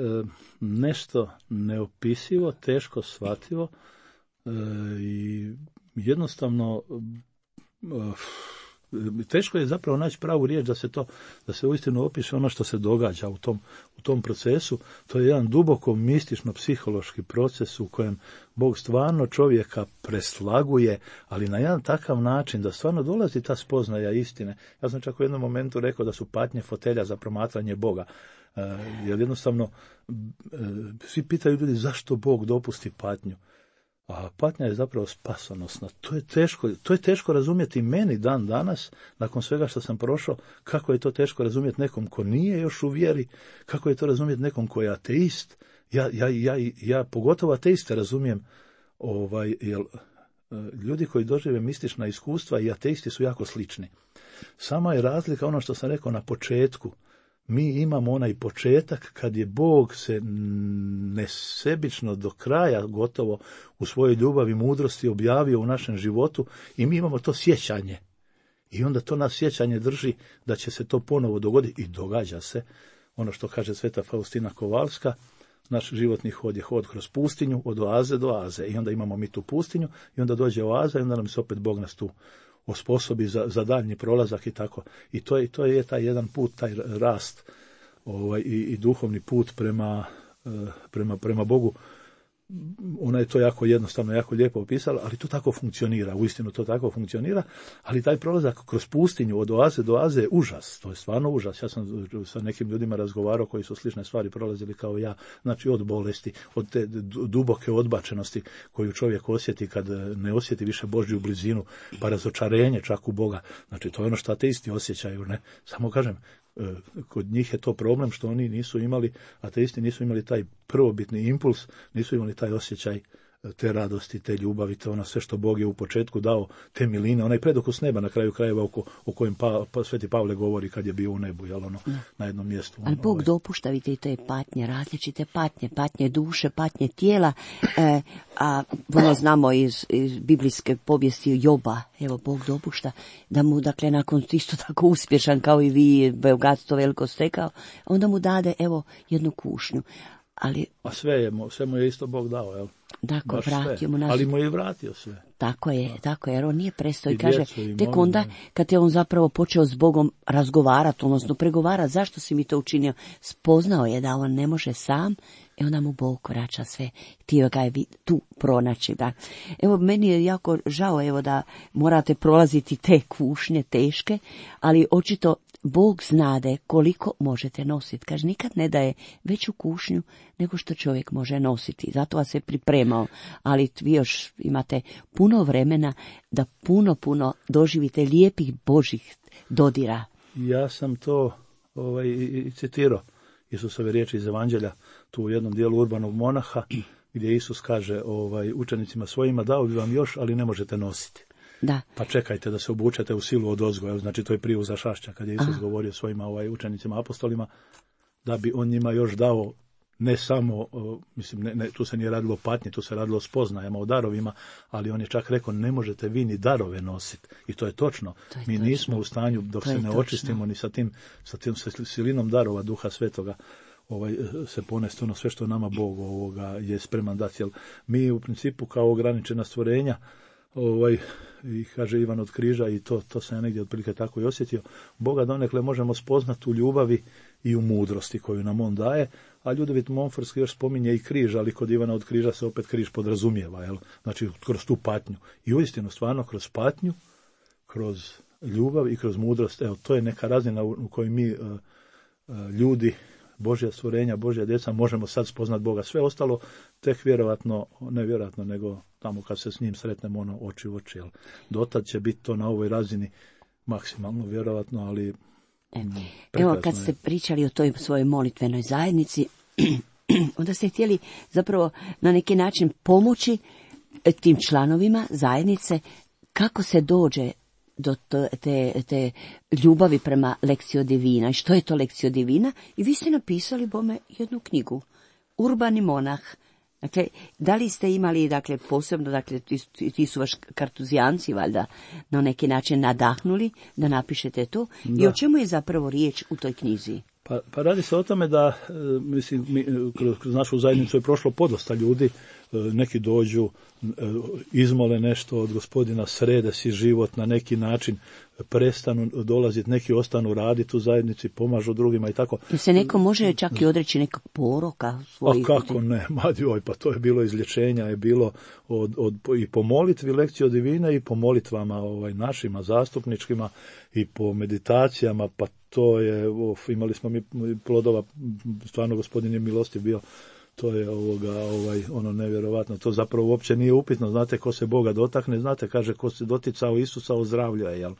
nešto neopisivo, teško shvativo i jednostavno teško je zapravo naći pravu riječ da se uistinu opiše ono što se događa u tom procesu. To je jedan duboko mistično-psihološki proces u kojem Bog stvarno čovjeka preslaguje, ali na jedan takav način da stvarno dolazi ta spoznaja istine. Ja sam čak u jednom momentu rekao da su patnje fotelja za promatranje Boga. Jer jednostavno svi pitaju ljudi zašto Bog dopusti patnju. A patnja je zapravo spasonosna. To je teško razumjeti meni dan danas, nakon svega što sam prošao, kako je to teško razumjeti nekom ko nije još u vjeri, kako je to razumjeti nekom ko je ateist. Ja pogotovo ateiste razumijem, jer ljudi koji dožive mistična iskustva i ateisti su jako slični. Sama je razlika ono što sam rekao na početku. Mi imamo onaj početak kad je Bog se nesebično do kraja gotovo u svojoj ljubavi i mudrosti objavio u našem životu i mi imamo to sjećanje. I onda to nas sjećanje drži da će se to ponovo dogoditi i događa se. Ono što kaže sveta Faustina Kovalska, naš životni hod je hod kroz pustinju od oaze do oaze. I onda imamo mi tu pustinju i onda dođe oaza i onda nam se opet Bog nas tu osposobi za daljnji prolazak i tako. I to je taj jedan put, taj rast i duhovni put prema Bogu. Ona je to jako jednostavno, jako lijepo opisala, ali to tako funkcionira, uistinu to tako funkcionira, ali taj prolazak kroz pustinju od oaze do oaze je užas, to je stvarno užas. Ja sam sa nekim ljudima razgovarao koji su slične stvari prolazili kao ja, znači od bolesti, od te duboke odbačenosti koju čovjek osjeti kad ne osjeti više Božju blizinu, pa razočarenje čak u Boga, znači to je ono što ateisti osjećaju, ne? Samo kažem, kod njih je to problem što oni nisu imali, ateisti nisu imali taj prvobitni impuls, nisu imali taj osjećaj te radosti, te ljubavi, te ono sve što Bog je u početku dao, te miline, onaj predokus neba na kraju krajeva o kojem Sveti Pavle govori kad je bio u nebu, jel ono, na jednom mjestu. Ali Bog dopušta, vidite, i te patnje, različite patnje duše, patnje tijela, a ono znamo iz biblijske povijesti Joba, evo Bog dopušta da mu, dakle, nakon isto tako uspješan kao i vi, bogatstvo veliko stekao, onda mu dade, evo, jednu kušnju. A sve mu je isto Bog dao, jel? Tako, vratio mu nas. Ali mu je vratio sve. Tako je, jer on nije prestao i kaže, tek onda kad je on zapravo počeo s Bogom razgovarati, odnosno pregovarati, zašto si mi to učinio, spoznao je da on ne može sam, i onda mu Bog vraća sve, htio ga je tu pronaći. Da. Evo, meni je jako žao, evo, da morate prolaziti te kušnje teške, ali očito Bog znade koliko možete nositi. Kaže, nikad ne daje veću kušnju nego što čovjek može nositi. Zato vas je pripremao. Ali vi još imate puno vremena da puno doživite lijepih Božih dodira. Ja sam to i citirao Isusove riječi iz Evanđelja, tu u jednom dijelu Urbanog monaha, gdje Isus kaže učenicima svojima, dao bi vam još, ali ne možete nositi. Da. Pa čekajte da se obučete u silu odozgo, znači to je prije uza šašća, kad je Isus govorio svojima učenicima apostolima, da bi on njima još dao ne samo, tu se nije radilo o patnji, tu se radilo o spoznajama, o darovima, ali on je čak rekao, ne možete vi ni darove nositi. I to je točno. Mi nismo u stanju, dok se ne očistimo ni sa tim silinom darova Duha Svetoga, se ponesti ono sve što nama Bog je spreman dati. Jer mi u principu kao ograničena stvorenja, i kaže Ivan od Križa, i to sam ja negdje otprilike tako i osjetio, Boga donekle možemo spoznati u ljubavi i u mudrosti koju nam on daje, a Ljudevit Monforski još spominje i križ, ali kod Ivana od Križa se opet križ podrazumijeva, jel? Znači kroz tu patnju. I uistinu stvarno kroz patnju, kroz ljubav i kroz mudrost, evo, to je neka razina u kojoj mi ljudi, Božja stvorenja, Božja djeca, možemo sad spoznat Boga. Sve ostalo tek nevjerojatno, nego tamo kad se s njim sretnemo oči u oči. Dotad će biti to na ovoj razini maksimalno vjerojatno, ali evo, kad ste pričali o toj svojoj molitvenoj zajednici, onda ste htjeli zapravo na neki način pomoći tim članovima zajednice kako se dođe do te ljubavi prema Lectio Divina. I što je to Lectio Divina? I vi ste napisali bome jednu knjigu, Urbani monah. Dakle, da li ste imali, dakle, posebno, dakle, ti su vaš kartuzijanci, valjda, na neki način nadahnuli da napišete to? Da. I o čemu je zapravo riječ u toj knjizi? Pa radi se o tome da, mislim, kroz našu zajednicu je prošlo podosta ljudi, neki dođu, izmole nešto od Gospodina, srede si život na neki način, prestanu dolaziti, neki ostanu raditi u zajednici, pomažu drugima i tako. I se neko može čak i odreći nekog poroka svojih. A kako ne, pa to je bilo izlječenja, je bilo i po molitvi Lectio Divina i po molitvama našima zastupničkima i po meditacijama, pa to je, imali smo mi plodova, stvarno Gospodin je milostiv bio. To je ono nevjerovatno, to zapravo uopće nije upitno, znate ko se Boga dotakne, znate, kaže ko se doticao Isusa ozdravljuje, jel?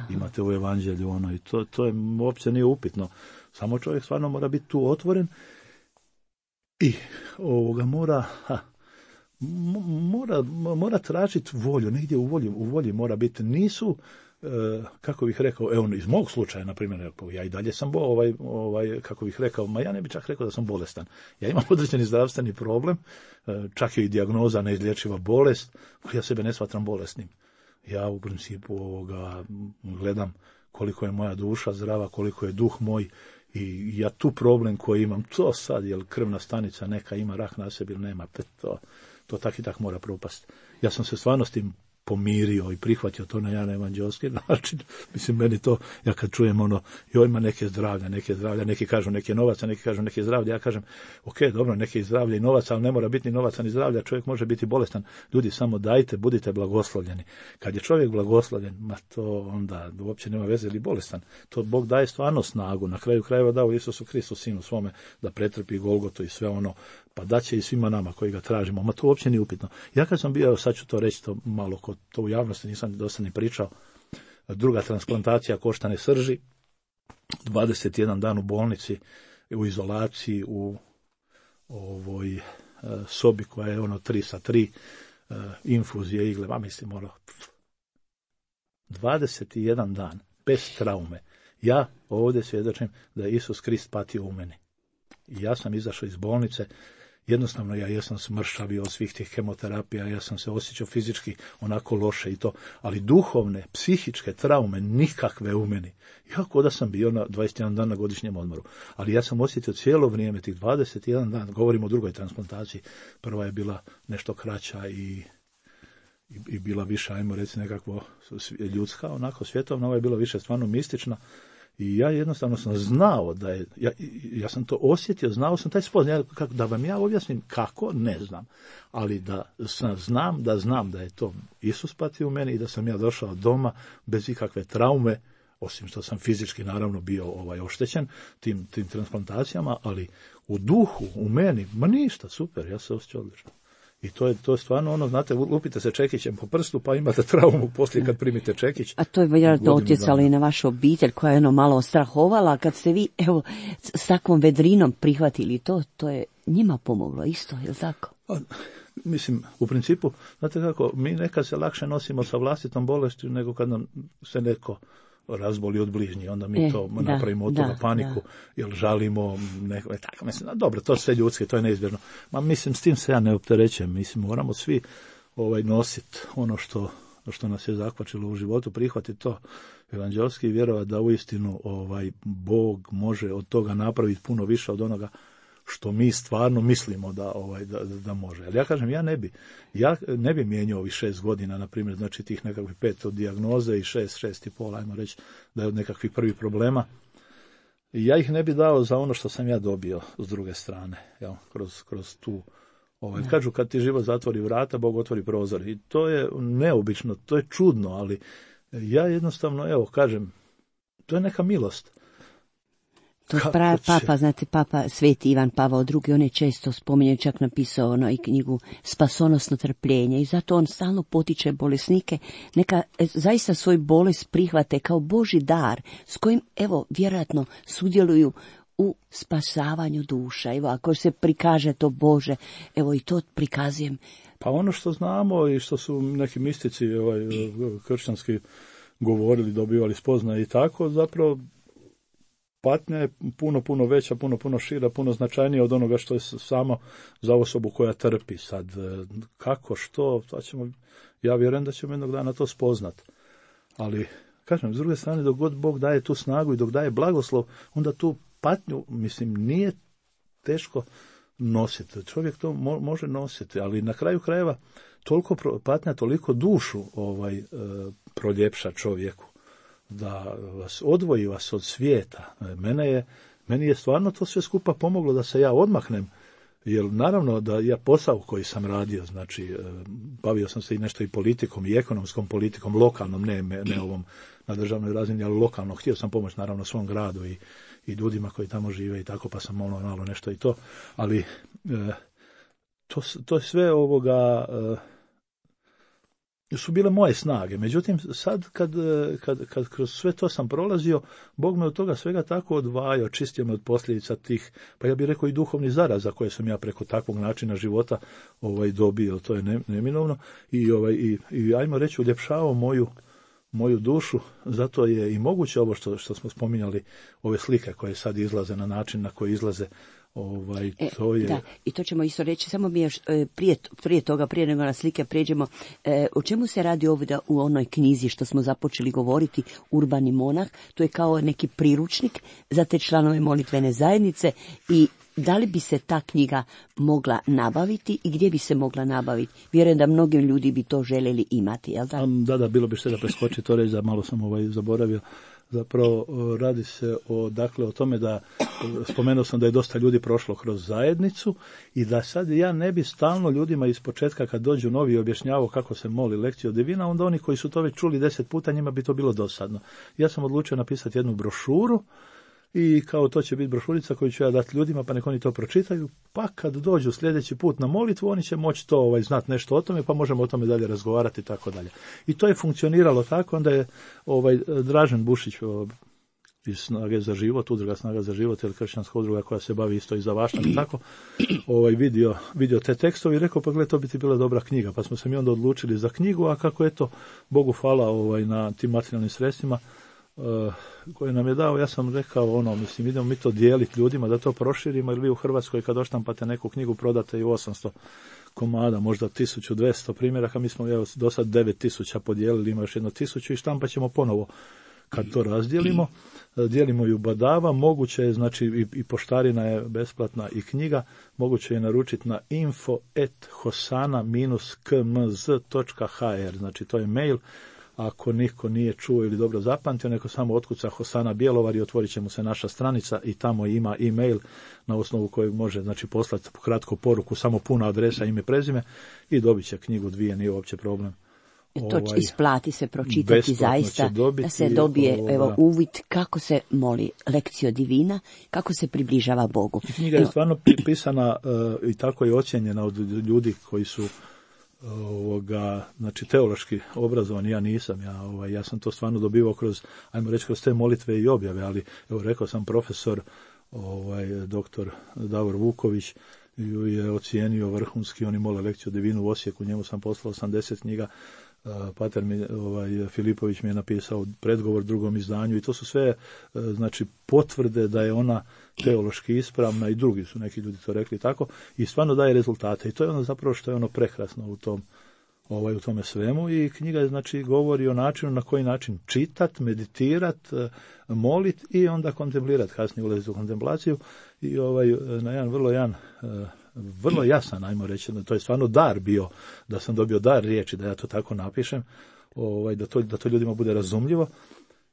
Imate u evanđelju ono i to je uopće nije upitno, samo čovjek stvarno mora biti tu otvoren i mora tražiti volju, negdje u volji mora biti, nisu, kako bih rekao, evo iz mog slučaja, na primjer, ja i dalje sam kako bih rekao, ja ne bih čak rekao da sam bolestan. Ja imam određeni zdravstveni problem, čak je i dijagnoza neizlječiva bolest, ja sebe ne smatram bolesnim. Ja u principu gledam koliko je moja duša zdrava, koliko je duh moj i ja tu problem koji imam, to sad, jel krvna stanica neka ima rak na sebi ili nema, to tak i tak mora propast. Ja sam se stvarno s tim pomirio i prihvatio to na jedan evanđelski način. Mislim, meni to, ja kad čujem joj ima neke zdravlja, neki kažu neke novaca, neki kažu neke zdravlja, ja kažem, ok, dobro, neke zdravlja i novaca, ali ne mora biti ni novaca ni zdravlja, čovjek može biti bolestan. Ljudi, samo dajte, budite blagoslovljeni. Kad je čovjek blagoslovljen, to onda uopće nema veze ili bolestan. To Bog daje stvarno snagu, na kraju krajeva dao Isusu Kristu, sinu svome, da pretrpi Golgotu i sve ono, pa daće i svima nama koji ga tražimo, to uopće nije upitno. Ja kad sam bio, sad ću to reći, to malo kod to u javnosti nisam dosta ni pričao, druga transplantacija koštane srži, 21 dan u bolnici, u izolaciji, u ovoj sobi koja je 3 infuzije, igle, mislim 21 dan, bez traume. Ja ovdje svjedočim da je Isus Krist patio u meni. I ja sam izašao iz bolnice, jednostavno ja jesam smršavio od svih tih kemoterapija, ja sam se osjećao fizički onako loše i to, ali duhovne, psihičke traume nikakve u meni. Iako da sam bio na 21 dan na godišnjem odmoru, ali ja sam osjetio cijelo vrijeme tih 21 dan, govorimo o drugoj transplantaciji, prva je bila nešto kraća i bila više, ajmo reći, nekakvo ljudska, onako svjetovna, ova je bila više stvarno mistična. I ja jednostavno sam znao da je, ja sam to osjetio, znao sam taj spoznaj, da vam ja objasnim kako, ne znam, ali da znam da je to Isus patio u meni i da sam ja došao doma bez ikakve traume, osim što sam fizički naravno bio oštećen tim transplantacijama, ali u duhu, u meni, ništa, super, ja se osjećao odlično. I to je stvarno znate, lupite se čekićem po prstu, pa imate traumu poslije kad primite čekić. A to je vjerojatno utjecalo i na vašu obitelj, koja je malo strahovala, kad ste vi, s takvom vedrinom prihvatili to je njima pomoglo isto, je li tako? Mislim, u principu, znate kako, mi nekad se lakše nosimo sa vlastitom bolešću nego kad nam se neko razboli od bližnji, onda mi napravimo od toga paniku, jer žalimo tako, mislim, dobro, to sve ljudski, to je neizbježno. Mislim, s tim se ja ne opterećujem, mislim, moramo svi nositi ono što nas je zakvačilo u životu, prihvatiti to evanđelski i vjerovati da uistinu Bog može od toga napraviti puno više od onoga što mi stvarno mislimo da može. Ali ja kažem, ja ne bi mijenjao ovih 6 godina, na primjer, znači tih nekakvih 5 od dijagnoze i 6,5, ajmo reći, da je od nekakvih prvih problema. I ja ih ne bi dao za ono što sam ja dobio s druge strane, kroz tu. Kažu, kad ti život zatvori vrata, Bog otvori prozor. I to je neobično, to je čudno, ali ja jednostavno, kažem, to je neka milost. To Papa, znate, Papa Sveti Ivan Pavao II, on je često spominjao, čak napisao i knjigu Spasonosno trpljenje, i zato on stalno potiče bolesnike, neka zaista svoj bolest prihvate kao Božji dar, s kojim, vjerojatno sudjeluju u spasavanju duša. Evo, ako se prikaže to Bože, evo i to prikazujem. Pa ono što znamo i što su neki mistici kršćanski govorili, dobivali spoznaje i tako, zapravo patnja je puno veća, puno šira, puno značajnija od onoga što je samo za osobu koja trpi. Sad, kako, što, ja vjerujem da ćemo jednog dana to spoznat. Ali, kažem, s druge strane, dok god Bog daje tu snagu i dok daje blagoslov, onda tu patnju, mislim, nije teško nositi. Čovjek to može nositi, ali na kraju krajeva patnja toliko dušu proljepša čovjeku, da vas odvoji vas od svijeta. Meni je stvarno to sve skupa pomoglo da se ja odmahnem, jer naravno da ja posao koji sam radio, znači bavio sam se i nešto i politikom i ekonomskom politikom, lokalnom, ne ovom na državnoj razini, ali lokalno. Htio sam pomoći naravno svom gradu i ljudima koji tamo žive i tako, pa sam malo nešto i to, ali to je sve su bile moje snage. Međutim, sad kad kroz sve to sam prolazio, Bog me od toga svega tako odvajao, čistio me od posljedica tih, pa ja bih rekao i duhovnih zaraza koje sam ja preko takvog načina života dobio, to je neminovno, i ajmo reći uljepšavao moju dušu, zato je i moguće ovo što smo spominjali, ove slike koje sad izlaze na način na koji izlaze, to je... Da, i to ćemo isto reći, samo mi još prije toga, prije nego na slike pređemo, o čemu se radi ovdje u onoj knjizi što smo započeli govoriti, Urbani monah, to je kao neki priručnik za te članove molitvene zajednice, i da li bi se ta knjiga mogla nabaviti i gdje bi se mogla nabaviti? Vjerujem da mnogi ljudi bi to željeli imati, jel da? Da, bilo bi što da preskoči to reći, da malo sam zaboravio. Zapravo radi se o tome da, spomenuo sam da je dosta ljudi prošlo kroz zajednicu i da sad ja ne bi stalno ljudima iz početka kad dođu novi objašnjavao kako se moli lekciju divina, onda oni koji su to već čuli 10 puta, njima bi to bilo dosadno. Ja sam odlučio napisati jednu brošuru i kao to će biti brošurica koju ću ja dati ljudima, pa nek oni to pročitaju, pa kad dođu sljedeći put na molitvu, oni će moći to znati nešto o tome, pa možemo o tome dalje razgovarati i tako dalje. I to je funkcioniralo tako, onda je Dražen Bušić iz Snage za život, udruga Snaga za život, ili kršćanska udruga koja se bavi isto i za vašta, tako, vidio te tekstove i rekao, pa gled, to bi ti bila dobra knjiga, pa smo se mi onda odlučili za knjigu, a kako eto, Bogu hvala na tim materijalnim sredstvima koje nam je dao, ja sam rekao, idemo mi to dijeliti ljudima, da to proširimo, jer vi u Hrvatskoj kad oštampate neku knjigu prodate i 800 komada, možda 1200 primjeraka, mi smo do sad 9000 podijelili, ima još 1000 i štampat ćemo ponovo kad to razdijelimo. Dijelimo ju badava, moguće je, znači i poštarina je besplatna i knjiga, moguće je naručiti na info@hosana-kmz.hr, znači to je mail. Ako niko nije čuo ili dobro zapamtio, neko samo otkuca Hosana Bjelovar i otvorit će mu se naša stranica i tamo ima e-mail na osnovu kojeg može poslati kratku poruku, samo puna adresa, ime, prezime i dobit će knjigu 2, nije uopće problem. To isplati se pročitati zaista, da se dobije uvid kako se moli lekciju divina, kako se približava Bogu. I knjiga je stvarno pisana i tako je ocjenjena od ljudi koji su znači teološki obrazovani, ja nisam, ja sam to stvarno dobivao kroz te molitve i objave, ali rekao sam profesor doktor Davor Vuković je ocijenio vrhunski, oni mole lekciju divinu u Osijeku, njemu sam poslao 80 knjiga, pater Filipović mi je napisao predgovor drugom izdanju i to su sve znači potvrde da je ona teološki ispravna i drugi su neki ljudi to rekli tako i stvarno daje rezultate i to je zapravo što je prekrasno u tome svemu i knjiga je znači govori o načinu na koji način čitat, meditirat, molit i onda kontemplirat, kasnije ulaziti u kontemplaciju i na jedan vrlo jasan, ajmo reći, to je stvarno dar bio, da sam dobio dar riječi, da ja to tako napišem, da to ljudima bude razumljivo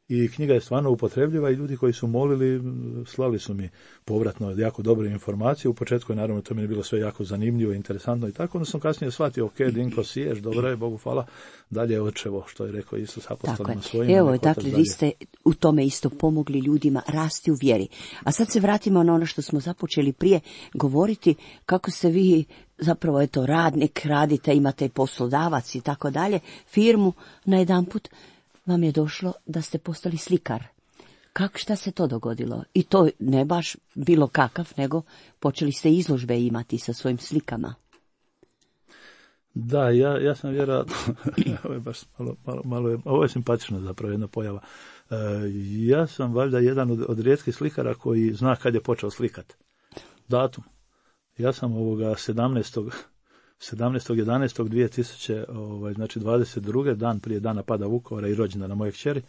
i knjiga je stvarno upotrebljiva i ljudi koji su molili slali su mi povratno jako dobre informacije. U početku je naravno to mi je bilo sve jako zanimljivo, interesantno i tako, onda sam kasnije shvatio, ok, Dinko siješ, dobro je, Bogu hvala, dalje očevo, što je rekao Isus apostolima svojim. Evo, dakle, vi ste u tome isto pomogli ljudima rasti u vjeri. A sad se vratimo na ono što smo započeli prije govoriti, kako se vi zapravo radnik, radite, imate poslodavac i tako dalje, firmu, na jedanput vam je došlo da ste postali slikar. Šta se to dogodilo? I to ne baš bilo kakav, nego počeli ste izložbe imati sa svojim slikama. Da, ja sam vjerojatno, ovo je baš malo, ovo je simpatično zapravo jedna pojava. Ja sam valjda jedan od rijetkih slikara koji zna kad je počeo slikat. Datum. Ja sam 17.11.2000, znači 22. dan prije dana pada Vukovara i rođendana moje kćeri,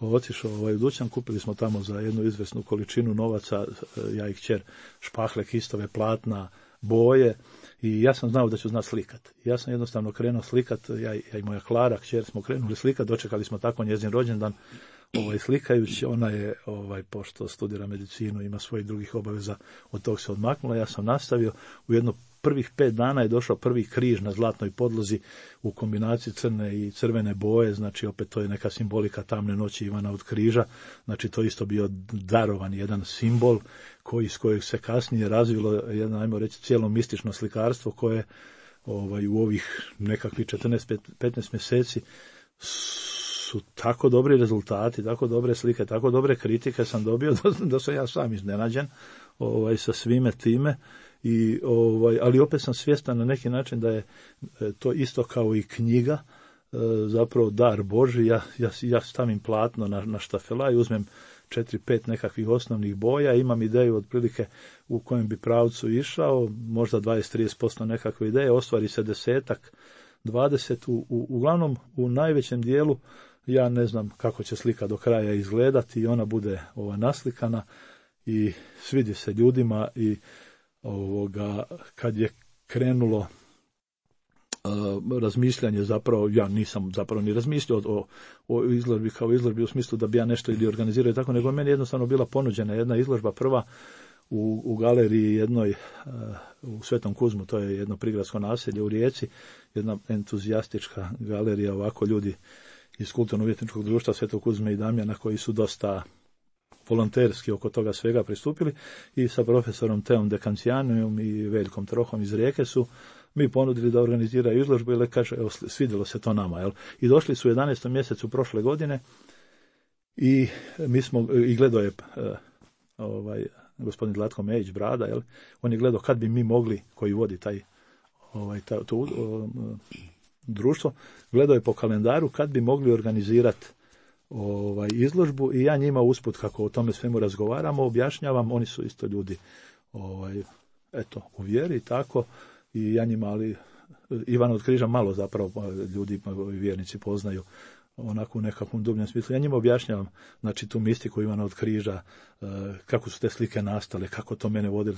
otišao u dućan, kupili smo tamo za jednu izvesnu količinu novaca, ja i kćer, špahle, kistove, platna, boje, i ja sam znao da ću znati slikat. Ja sam jednostavno krenuo slikat, ja i moja Klara, kćer, smo krenuli slikat, dočekali smo tako njezin rođendan, slikajući. Ona je, pošto studira medicinu, ima svojih drugih obaveza, od tog se odmaknula, ja sam nastavio. U jedno prvih 5 dana je došao prvi križ na zlatnoj podlozi u kombinaciji crne i crvene boje, znači opet to je neka simbolika tamne noći Ivana od križa, znači to isto bio darovan jedan simbol iz kojeg se kasnije razvilo jedno, ajmo reći, cijelo mistično slikarstvo koje u ovih nekakvih 14-15 mjeseci su tako dobri rezultati, tako dobre slike, tako dobre kritike sam dobio da sam ja sam iznenađen sa svime time. Ali opet sam svjestan na neki način da je to isto kao i knjiga, zapravo dar Božji. Ja stavim platno na štafela i uzmem 4-5 nekakvih osnovnih boja, imam ideju otprilike u kojem bi pravcu išao, možda 20-30% nekakve ideje, ostvari se 10-20, uglavnom u najvećem dijelu ja ne znam kako će slika do kraja izgledati i ona bude naslikana i svidi se ljudima. I kad je krenulo razmišljanje, zapravo ja nisam zapravo ni razmišljao o izložbi kao izložbi u smislu da bi ja nešto ili organizirao i tako, nego meni jednostavno bila ponuđena jedna izložba prva u galeriji jednoj u Svetom Kuzmu, to je jedno prigradsko naselje u Rijeci, jedna entuzijastička galerija, ovako ljudi iz kulturno-umjetničkog društva Svetog Kuzme i Damjana koji su dosta volonterski oko toga svega pristupili, i sa profesorom Teom Dekancijanijom i Veljkom Trohom iz Rijeke su mi ponudili da organiziraju izložbu, i kaže, evo, svidjelo se to nama, jel? I došli su u 11. mjesecu prošle godine i mi smo, i gledao je gospodin Zlatko Mejić Brada, jel? On je gledao kad bi mi mogli, koji vodi to društvo, gledao je po kalendaru kad bi mogli organizirati izložbu, i ja njima usput, kako o tome svemu razgovaramo, objašnjavam, oni su isto ljudi u vjeri, tako, i ja njima, ali Ivan od križa malo zapravo ljudi, vjernici, poznaju onako u nekakvom dubljem smislu. Ja njima objašnjavam, znači, tu mistiku Ivana od križa, kako su te slike nastale, kako to mene vodi,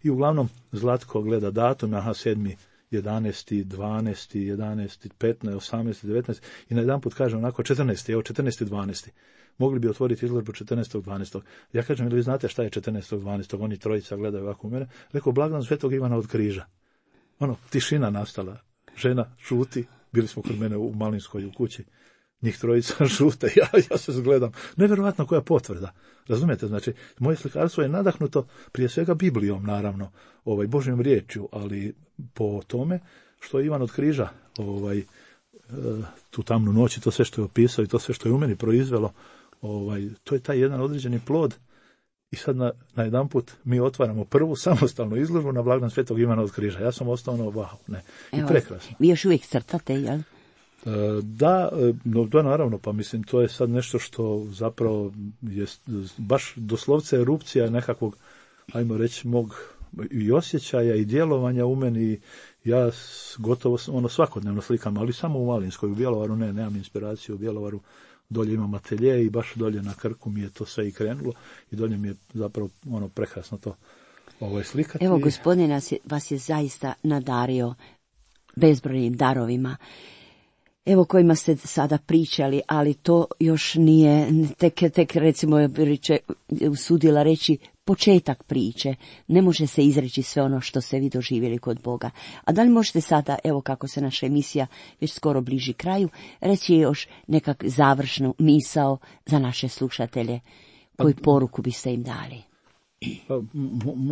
i uglavnom Zlatko gleda datum, 7. 11. 12. 11. 15. 18. 19. i na jedan put kaže onako 14. Evo 14. 12. Mogli bi otvoriti izložbu 14. 12. Ja kažem, ili vi znate šta je 14. 12. Oni trojica gledaju ovako u mene. Rekao, blagdan Svetog Ivana od križa. Tišina nastala. Žena šuti. Bili smo kod mene u Malinskoj u kući. Njih trojica šute. Ja se zgledam. Nevjerovatno koja potvrda. Razumijete? Znači, moje slikarstvo je nadahnuto prije svega Biblijom, naravno, Božjom riječju, ali po tome što je Ivan od križa tu tamnu noć i to sve što je opisao i to sve što je u meni proizvelo, to je taj jedan određeni plod. I sad na jedan put mi otvaramo prvu samostalnu izložbu na blagdan Svetog Ivana od križa. Ja sam ostao i prekrasno. Vi još uvijek crtate, jel? Da, naravno, pa mislim, to je sad nešto što zapravo je baš doslovce erupcija nekakvog, ajmo reći, mog i osjećaja i djelovanja u meni. Ja gotovo svakodnevno slikam, ali samo u Malinskoj, u Bjelovaru nemam inspiraciju, u Bjelovaru dolje imam atelje i baš dolje na Krku mi je to sve i krenulo i dolje mi je zapravo prekrasno to slikati. Evo, gospodin vas je zaista nadario bezbrojnim darovima, evo, kojima ste sada pričali, ali to još nije, tek recimo, usudila reći, početak priče. Ne može se izreći sve ono što ste vi doživjeli kod Boga. A da li možete sada, evo kako se naša emisija već skoro bliži kraju, reći još nekak završnu misao za naše slušatelje, koju poruku biste im dali? Pa,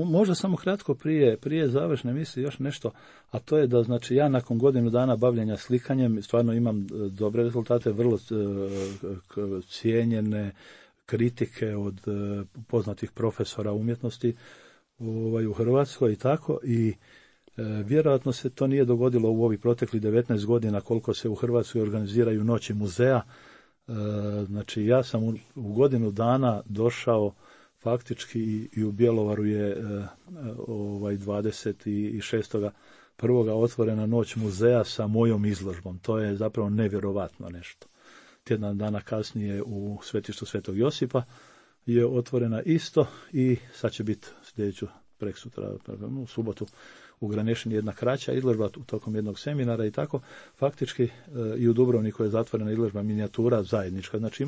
možda samo kratko prije završne misli još nešto, a to je da, znači, ja nakon godinu dana bavljenja slikanjem stvarno imam dobre rezultate, vrlo cijenjene kritike od poznatih profesora umjetnosti u Hrvatskoj i tako. I vjerojatno se to nije dogodilo u ovih proteklih 19 godina koliko se u Hrvatskoj organiziraju noći muzeja. Znači ja sam u godinu dana došao faktički i u Bjelovaru je 26.1. otvorena noć muzeja sa mojom izložbom. To je zapravo nevjerovatno nešto. Tjedan dana kasnije u svetištu Svetog Josipa je otvorena isto i sad će biti sljedeću preksutra, u subotu u Granešini jedna kraća izložba tokom jednog seminara i tako. Faktički i u Dubrovniku je zatvorena izložba minijatura zajednička. Znači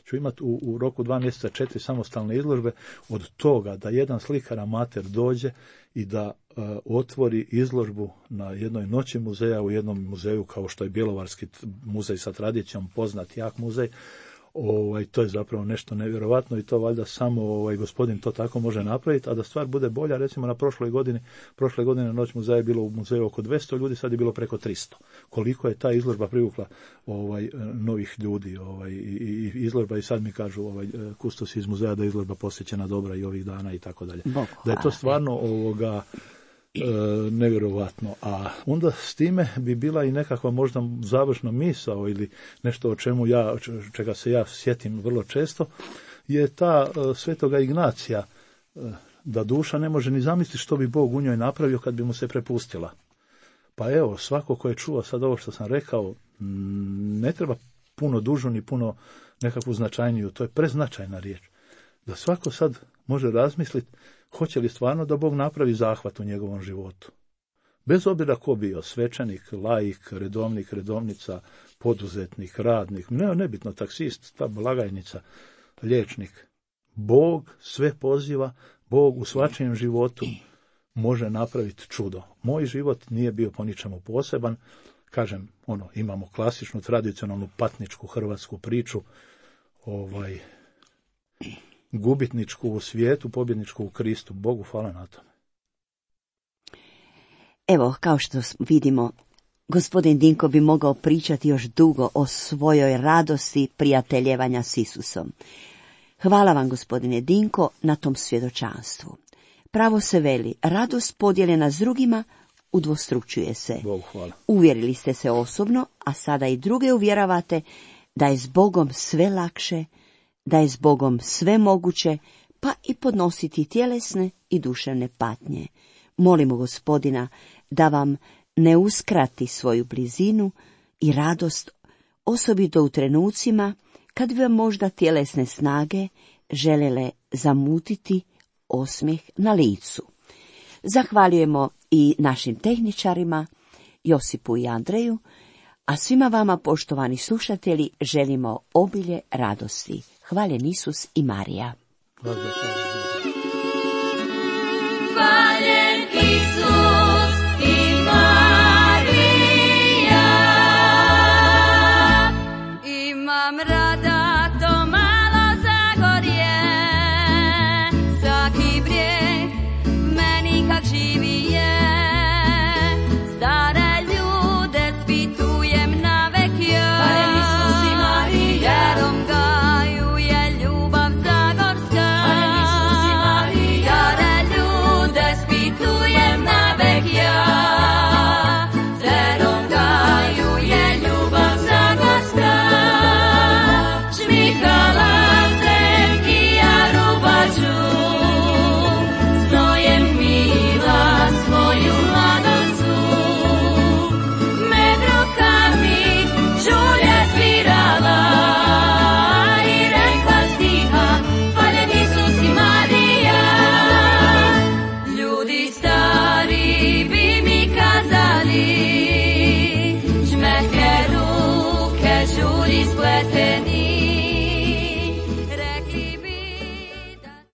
ću imati u roku 2 mjeseca 4 samostalne izložbe, od toga da jedan slikar amater dođe i da otvori izložbu na jednoj noći muzeja u jednom muzeju kao što je Bjelovarski muzej sa tradicijom, poznat jak muzej. To je zapravo nešto nevjerovatno i to valjda samo gospodin to tako može napraviti, a da stvar bude bolja, recimo na prošle godine noć muzeja je bilo u muzeju oko 200 ljudi, sad je bilo preko 300. Koliko je ta izložba privukla novih ljudi i izložba, i sad mi kažu kustosi iz muzeja da je izložba posjećena dobra i ovih dana i tako dalje. Da je to stvarno nevjerovatno, a onda s time bi bila i nekakva možda završna misao ili nešto o čemu čega se ja sjetim vrlo često, je ta Svetoga Ignacija, da duša ne može ni zamisliti što bi Bog u njoj napravio kad bi mu se prepustila. Pa evo, svako ko je čuo sad ovo što sam rekao, ne treba puno dužu ni puno nekakvu značajniju, to je preznačajna riječ. Da svako sad može razmisliti hoće li stvarno da Bog napravi zahvat u njegovom životu. Bez obzira ko bio, svećenik, laik, redovnik, redovnica, poduzetnik, radnik, nebitno, taksist, ta blagajnica, liječnik. Bog sve poziva, Bog u svačijem životu može napraviti čudo. Moj život nije bio po ničemu poseban. Kažem, imamo klasičnu, tradicionalnu patničku hrvatsku priču, gubitničku u svijetu, pobjedničku u Kristu. Bogu hvala na tome. Evo, kao što vidimo, gospodin Dinko bi mogao pričati još dugo o svojoj radosti prijateljevanja s Isusom. Hvala vam, gospodine Dinko, na tom svjedočanstvu. Pravo se veli, radost podijeljena s drugima udvostručuje se. Bogu hvala. Uvjerili ste se osobno, a sada i druge uvjeravate da je s Bogom sve lakše, da je s Bogom sve moguće, pa i podnositi tjelesne i duševne patnje. Molimo Gospodina da vam ne uskrati svoju blizinu i radost, osobito u trenucima kad bi vam možda tjelesne snage želele zamutiti osmijeh na licu. Zahvaljujemo i našim tehničarima, Josipu i Andreju, a svima vama, poštovani slušatelji, želimo obilje radosti. Hvaljen Isus i Marija. Hvaljen Isus i Marija. Imam rada